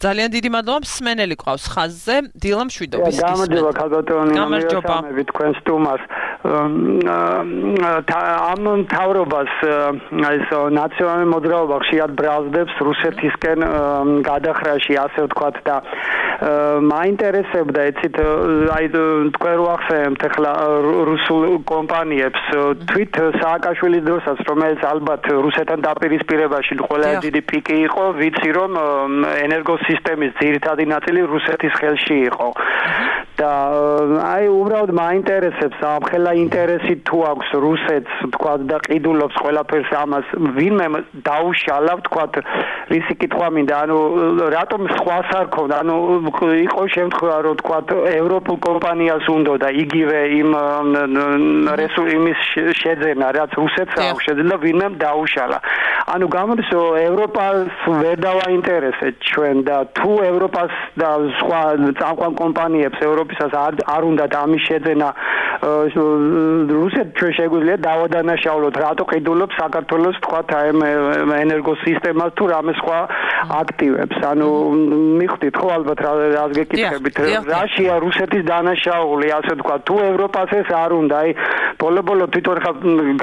ძალიან დიდი მადლობა, მსმენელი ყავს ხაზზე, დილა მშვიდობის. გამარჯობა ქალბატონი, მოგესალმები თქვენ სტუმარს. ამ მთავრობას ეს ნაციონალური მოძრაობა ხშირად ბრალდებს რუსეთისკენ გადახრაში, ასე ვთქვათ და მაინტერესებდა ეცით აი თქვენ რო ახსენებთ ახლა რუსულ კომპანიებს თვით სააკაშვილის დროსაც, რომელიც ალბათ რუსეთთან დაპირისპირებაში ყველაზე დიდი პიკი იყო, ვიცი რომ ენერგოსისტემის ძირითადი ნაწილი რუსეთის ხელში იყო. და აი უბრალოდ მაინტერესებს ამხელა ინტერესი თუ აქვს რუსეთს თქვა და ყიდულობს ყველაფერს ამას ვინმე დაუშალა თქვა რისი კითხვა მინდა ანუ რატომ სხვას არ ქონდა ანუ იყო შემთხვევა რომ თქვა ევროპულ კომპანიას უნდა და იგივე იმ რესურსის შეძენა რაც რუსეთს აქვს შეძენა ვინმე დაუშალა ანუ გამოდის რომ ევროპას ვერ დავაინტერესეთ ჩვენ და თუ ევროპას და სხვა წამყვან კომპანიებს ევროპისას არ უნდა ამის შეძენა რუსეთ ჩვენ შეგვიძლია დავადანაშაულოთ რატო ყიდულობს საქართველოს თქვა ამ ენერგოსისტემას თუ რამე სხვა აქტივებს ანუ მიხვდით ხო ალბათ რას გეკითხებით რაშია რუსეთის დანაშაული ასე თქვა თუ ევროპას ეს არ უნდა აი ბოლო-ბოლო თვითონ ხა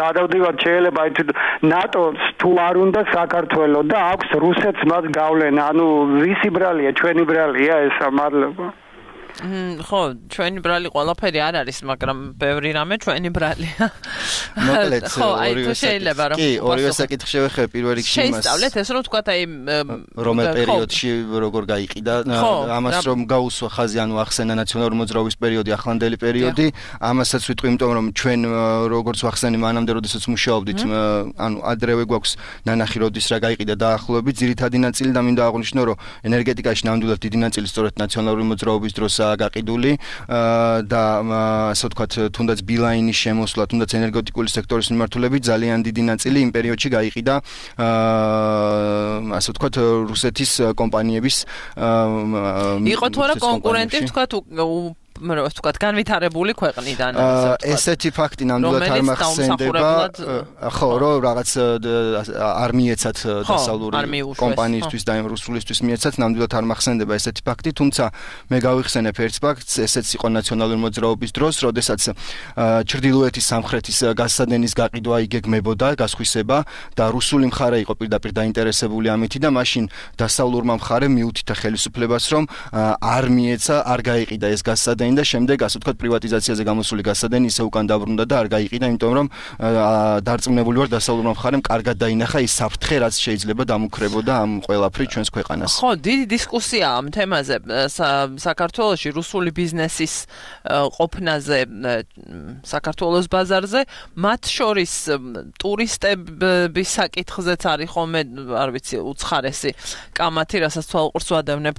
გადავდივართ შეიძლება აი ნატოს თუ არ უნდა საქართველოს და აქვს რუსეთს მას გავლენა ანუ ვისი ბრალია ჩვენი ბრალია ეს მადლობა ხო, ჩვენი ბრალი ყველაფერი არ არის, მაგრამ ბევრი რამე ჩვენი ბრალია. მოკლედ, ხო, აი თუ შეიძლება რომ კი, ორივე საკითხი შევეხე პირველ რიგში იმას. შეისწავლეთ ეს რომ თქვა აი რომელ პერიოდში როგორ გაიყიდა, ამას რომ გაუსვა ხაზი, ანუ ახსენა ნაციონალური მოძრაობის პერიოდი, ახლანდელი პერიოდი, ამასაც ვიტყვი, იმიტომ რომ ჩვენ როგორც ვახსენე მანამდე, როდესაც მუშაობდით, ანუ ადრევე გვაქვს ნანახი როდის რა გაიყიდა დაახლოებით, ძირითადი ნაწილი და მინდა აღვნიშნო, რომ ენერგეტიკაში ნამდვილად დიდი ნაწილი სწორედ ნაციონალური მოძრაობის დროს გაყიდული და ასე ვთქვათ თუნდაც ბილაინის შემოსვლა, თუნდაც ენერგეტიკული სექტორის მიმართულებით ძალიან დიდი ნაწილი იმ პერიოდში გაიყიდა ასე ვთქვათ რუსეთის კომპანიების იყო თუ არა კონკურენტი ვთქვათ ასე ვთქვათ განვითარებული ქვეყნიდან ესეთი ფაქტი ნამდვილად არ მახსენდება ხო რომ რაღაც არ მიეცათ დასავლური კომპანიისთვის და რუსულისთვის მიეცათ ნამდვილად არ მახსენდება ესეთი ფაქტი თუმცა მე გავიხსენებ ერთ ფაქტს ესეც იყო ნაციონალური მოძრაობის დროს როდესაც ჩრდილოეთის სამხრეთის გაზსადენის გაყიდვა იგეგმებოდა გასხვისება და რუსული მხარე იყო პირდაპირ დაინტერესებული ამით და მაშინ დასავლურმა მხარემ მიუთითა ხელისუფლებას რომ არ მიეცა არ გაიყიდა ეს გაზსადენი გასადენი და შემდეგ ასე ვთქვათ პრივატიზაციაზე გამოსული გასადენი ისე უკან დაბრუნდა და არ გაიყიდა, იმიტომ რომ დარწმუნებული ვარ დასავლურმა მხარემ კარგად დაინახა ის საფრთხე, რაც შეიძლება დამუქრებოდა ამ ყველაფრით ჩვენს ქვეყანას. ხო, დიდი დისკუსია ამ თემაზე საქართველოში რუსული ბიზნესის ყოფნაზე საქართველოს ბაზარზე, მათ შორის ტურისტების საკითხზეც არის ხოლმე, არ ვიცი, უცხარესი კამათი, რასაც თვალყურს ვადევნებ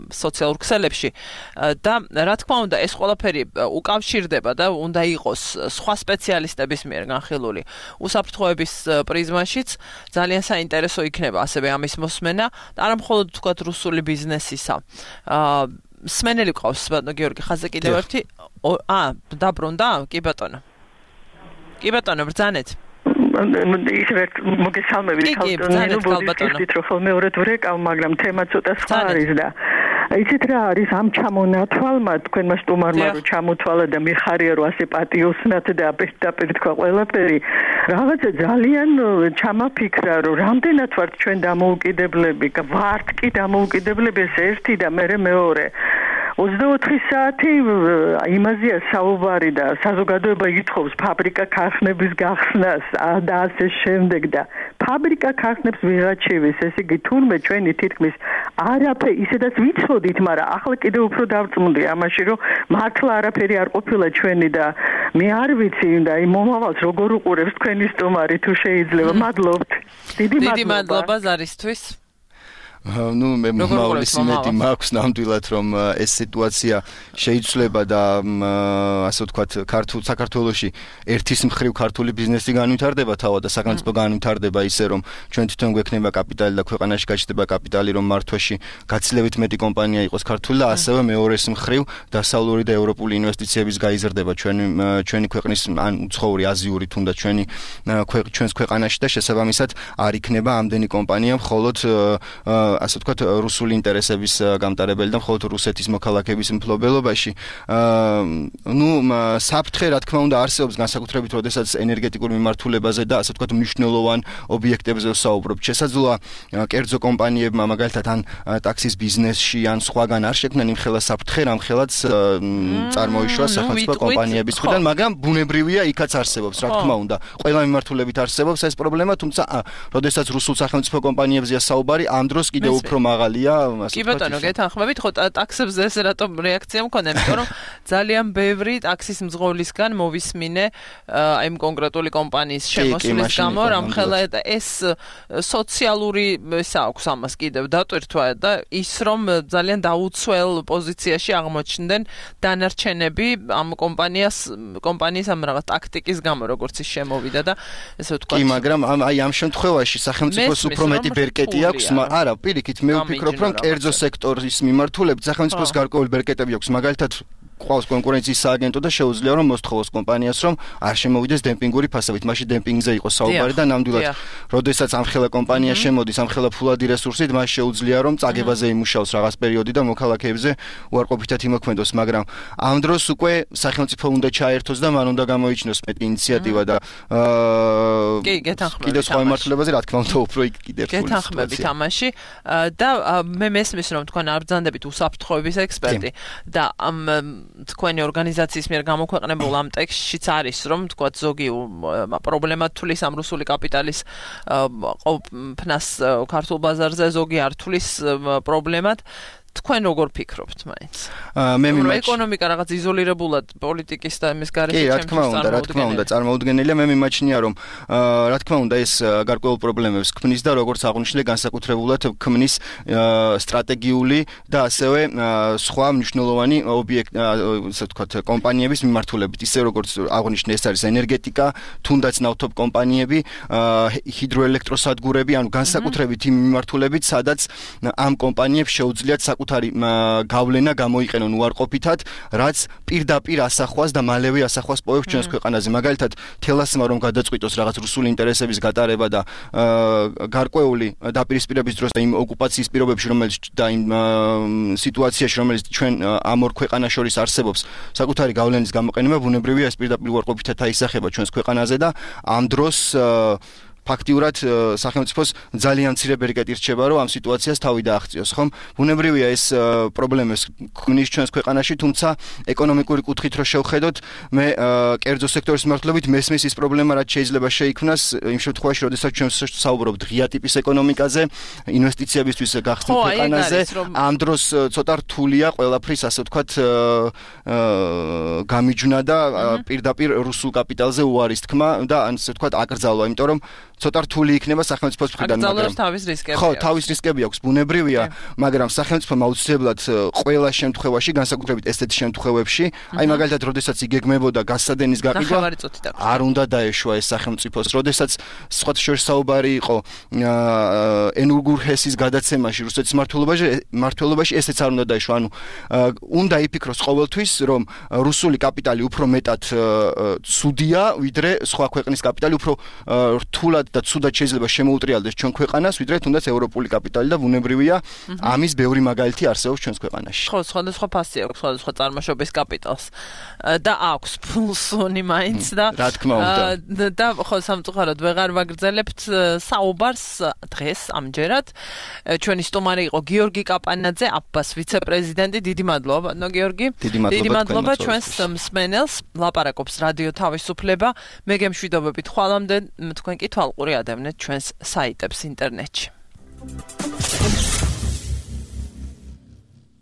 სოციალურ ქსელებში და რა თქმა უნდა ეს ყველაფერი უკავშირდება და უნდა იყოს სხვა სპეციალისტების მიერ განხილული უსაფრთხოების პრიზმაშიც ძალიან საინტერესო იქნება ასევე ამის მოსმენა და არა მხოლოდ თქვათ რუსული ბიზნესისა. სმენელი ყავს ბატონო გიორგი ხაზე კიდევ ერთი აა დაბრუნდა? კი ბატონო. კი ბატონო ბრძანეთ. ისე მოგესალმებით ქალბატონო ბოდიშით რო ხოლმე ორად ვრეკავ, მაგრამ თემა ცოტა სხვა არის და იცით რა არის ამ ჩამონათვალმა თქვენმა სტუმარმა რო ჩამოთვალა და მიხარია რომ ასე პატიოსნათ და აპერტაპერტ თქვა ყველაფერი რაღაცა ძალიან ჩამაფიქრა რომ რამდენად ვართ ჩვენ დამოუკიდებლები, ვართ კი დამოუკიდებლები ეს ერთი და მე მეორე ოცდაოთხი საათი იმაზეა საუბარი და საზოგადოება ითხოვს ფაბრიკა ქარხნების გახსნას და ასე შემდეგ და ფაბრიკა ქარხნებს ვიღაჩევის, ესე იგი თურმე ჩვენი თითქმის არაფერი ისედაც ვიცოდით, მაგრამ ახლა კიდევ უფრო დავწმუნდი ამაში, რომ მართლა არაფერი არ ყოფილა ჩვენი და მე არ ვიცი და იმ მომავალს როგორ უყურებს თქვენი სტუმარი თუ შეიძლება. მადლობთ. დიდი მადლობა. დიდი მადლობა ზარისთვის. ну მე მომავლის იმედი მაქვს ნამდვილად რომ ეს სიტუაცია შეიცვლება და ასე ვთქვათ ქართულ საქართველოში ერთის მხრივ ქართული ბიზნესი განვითარდება თავად და სახელმწიფო განვითარდება ისე რომ ჩვენ თვითონ გვექნება კაპიტალი და ქვეყანაში გაჩნდება კაპიტალი რომ მართვაში გაცილებით მეტი კომპანია იყოს ქართული და ასევე მეორეს მხრივ დასავლური და ევროპული ინვესტიციების გაიზრდება ჩვენი ჩვენი ქვეყნის ან უცხოური აზიური თუნდაც ჩვენი ჩვენს ქვეყანაში და შესაბამისად არ იქნება ამდენი კომპანია მხოლოდ ასე ვთქვათ რუსული ინტერესების გამტარებელი და მხოლოდ რუსეთის მოქალაქეების მფლობელობაში. ну საფრთხე რა თქმა უნდა არსებობს განსაკუთრებით როდესაც ენერგეტიკურ მიმართულებაზე და ასე ვთქვათ მნიშვნელოვან ობიექტებზე ვსაუბრობთ. შესაძლოა კერძო კომპანიებმა მაგალითად ან ტაქსის ბიზნესში ან სხვაგან არ შექმნან იმხელა საფრთხე, რამხელაც წარმოიშვა სახელმწიფო კომპანიების მხრიდან, მაგრამ ბუნებრივია იქაც არსებობს, რა თქმა უნდა. ყველა მიმართულებით არსებობს ეს პრობლემა, თუმცა როდესაც რუსულ სახელმწიფო კომპანიებზეა საუბარი, ამ დროს კიდევ უფრო მაღალია, ასე კი ბატონო, გეთანხმებით, ხო ტაქსებზე ეს რატომ რეაქცია მქონდა, იმიტომ რომ ძალიან ბევრი ტაქსის მძღოლისგან მოვისმინე აი იმ კონკრეტული კომპანიის შემოსვლის გამო, რამხელა ეს სოციალური ეს აქვს ამას კიდევ დატვირთვა და ის რომ ძალიან დაუცველ პოზიციაში აღმოჩნდნენ დანარჩენები ამ კომპანიას კომპანიის ამ რაღაც ტაქტიკის გამო, როგორც ის შემოვიდა და ესე ვთქვათ. კი, მაგრამ აი ამ შემთხვევაში სახელმწიფოს უფრო მეტი ბერკეტი აქვს, არა, პირიქით მე ვფიქრობ რომ კერძო სექტორის მიმართულებით სახელმწიფოს გარკვეული ბერკეტები აქვს, მაგალითად ყავს კონკურენციის სააგენტო და შეუძლია რომ მოსთხოვოს კომპანიას რომ არ შემოვიდეს დემპინგური ფასებით. მაშინ დემპინგზე იყოს საუბარი და ნამდვილად როდესაც ამხელა კომპანია შემოდის ამხელა ფულადი რესურსით, მას შეუძლია რომ წაგებაზე იმუშაოს რაღაც პერიოდი და მოქალაქეებზე უარყოფითად იმოქმედოს, მაგრამ ამ დროს უკვე სახელმწიფო უნდა ჩაერთოს და მან უნდა გამოიჩინოს მეტი ინიციატივა და კი, გეთანხმებით. კიდევ სხვა მიმართულებაზე რა თქმა უნდა უფრო იქ კიდევ რთული სიტუაცია. გეთანხმებით ამაში და მე მესმის რომ თქვენ არ ბრძანდებით უსაფრთხოების ექსპერტი და ამ თქვენი ორგანიზაციის მიერ გამოქვეყნებულ ამ ტექსტშიც არის რომ თქვათ ზოგი პრობლემა თulis ამ რუსული კაპიტალის ყოფნას ქართულ ბაზარზე, ზოგი არ თulis პრობლემად. თქვენ როგორ ფიქრობთ მაინც? მე მიმაჩ ეკონომიკა რაღაც იზოლირებულად პოლიტიკის და იმის გარეშე ჩემთვის წარმოუდგენელია. კი, რა თქმა უნდა, რა თქმა უნდა, წარმოუდგენელია. მე მიმაჩნია რომ რა თქმა უნდა ეს გარკვეულ პრობლემებს ქმნის და როგორც აღნიშნე განსაკუთრებულად ქმნის სტრატეგიული და ასევე სხვა მნიშვნელოვანი ობიექტ ასე ვთქვათ კომპანიების მიმართულებით. ისე როგორც აღნიშნე ეს არის ენერგეტიკა, თუნდაც ნავთობ კომპანიები, ჰიდროელექტროსადგურები, ანუ განსაკუთრებით იმ მიმართულებით, სადაც ამ კომპანიებს შეუძლიათ საკუთარი გავლენა გამოიყენონ უარყოფითად, რაც პირდაპირ ასახვას და მალევე ასახვას პოვებს ჩვენს ქვეყანაზე. მაგალითად, თელასმა რომ გადაწყვიტოს რაღაც რუსული ინტერესების გატარება და გარკვეული დაპირისპირების დროს და იმ ოკუპაციის პირობებში, რომელიც და იმ სიტუაციაში, რომელიც ჩვენ ამ ორ ქვეყანას შორის არსებობს, საკუთარი გავლენის გამოყენება ბუნებრივია ეს პირდაპირ უარყოფითად აისახება ჩვენს ქვეყანაზე და ამ დროს ფაქტიურად სახელმწიფოს ძალიან მცირე ბერკეტი რჩება, რომ ამ სიტუაციას თავი დააღწიოს, ხომ? ბუნებრივია ეს პრობლემებს გვნის ჩვენს ქვეყანაში, თუმცა ეკონომიკური კუთხით რო შევხედოთ, მე კერძო სექტორის მიმართულებით მესმის ის პრობლემა, რაც შეიძლება შეიქმნას იმ შემთხვევაში, როდესაც ჩვენ საუბრობთ ღია ტიპის ეკონომიკაზე, ინვესტიციებისთვის გახსნილ ქვეყანაზე, ამ დროს ცოტა რთულია ყველაფრის, ასე ვთქვათ, გამიჯვნა და პირდაპირ რუსულ კაპიტალზე უარის თქმა და ასე ვთქვათ, აკრძალვა, იმიტომ რომ ცოტა რთული იქნება სახელმწიფოს მხრიდან, მაგრამ თავის რისკები ხო, თავის რისკები აქვს, ბუნებრივია, მაგრამ სახელმწიფომ აუცილებლად ყველა შემთხვევაში, განსაკუთრებით ესეთ შემთხვევებში, აი მაგალითად, როდესაც იგეგმებოდა გასადენის გაყიდვა, არ უნდა დაეშვა ეს სახელმწიფოს, როდესაც სხვათა შორის საუბარი იყო ენურგურ ჰესის გადაცემაში რუსეთის მმართველობაში, მმართველობაში ესეც არ უნდა დაეშვა, ანუ უნდა იფიქროს ყოველთვის, რომ რუსული კაპიტალი უფრო მეტად ცუდია, ვიდრე სხვა ქვეყნის კაპიტალი, უფრო რთულად და ცუდად შეიძლება შემოუტრიალდეს ჩვენ ქვეყანას, ვიდრე თუნდაც ევროპული კაპიტალი და ბუნებრივია, ამის ბევრი მაგალითი არსებობს ჩვენს ქვეყანაში. ხო, სხვადასხვა ფასი აქვს, სხვადასხვა წარმოშობის კაპიტალს და აქვს ფულსონი მაინც და რა თქმა უნდა. და ხო, სამწუხაროდ ვეღარ ვაგრძელებთ საუბარს დღეს ამჯერად. ჩვენი სტუმარი იყო გიორგი კაპანაძე, აფბას ვიცე-პრეზიდენტი. დიდი მადლობა, ბატონო გიორგი. დიდი მადლობა ჩვენს მსმენელს. ლაპარაკობს რადიო თავისუფლება. მე გემშვიდობებით ხვალამდე თქვენ კი თვალყური ადევნეთ ჩვენს საიტებს ინტერნეტში.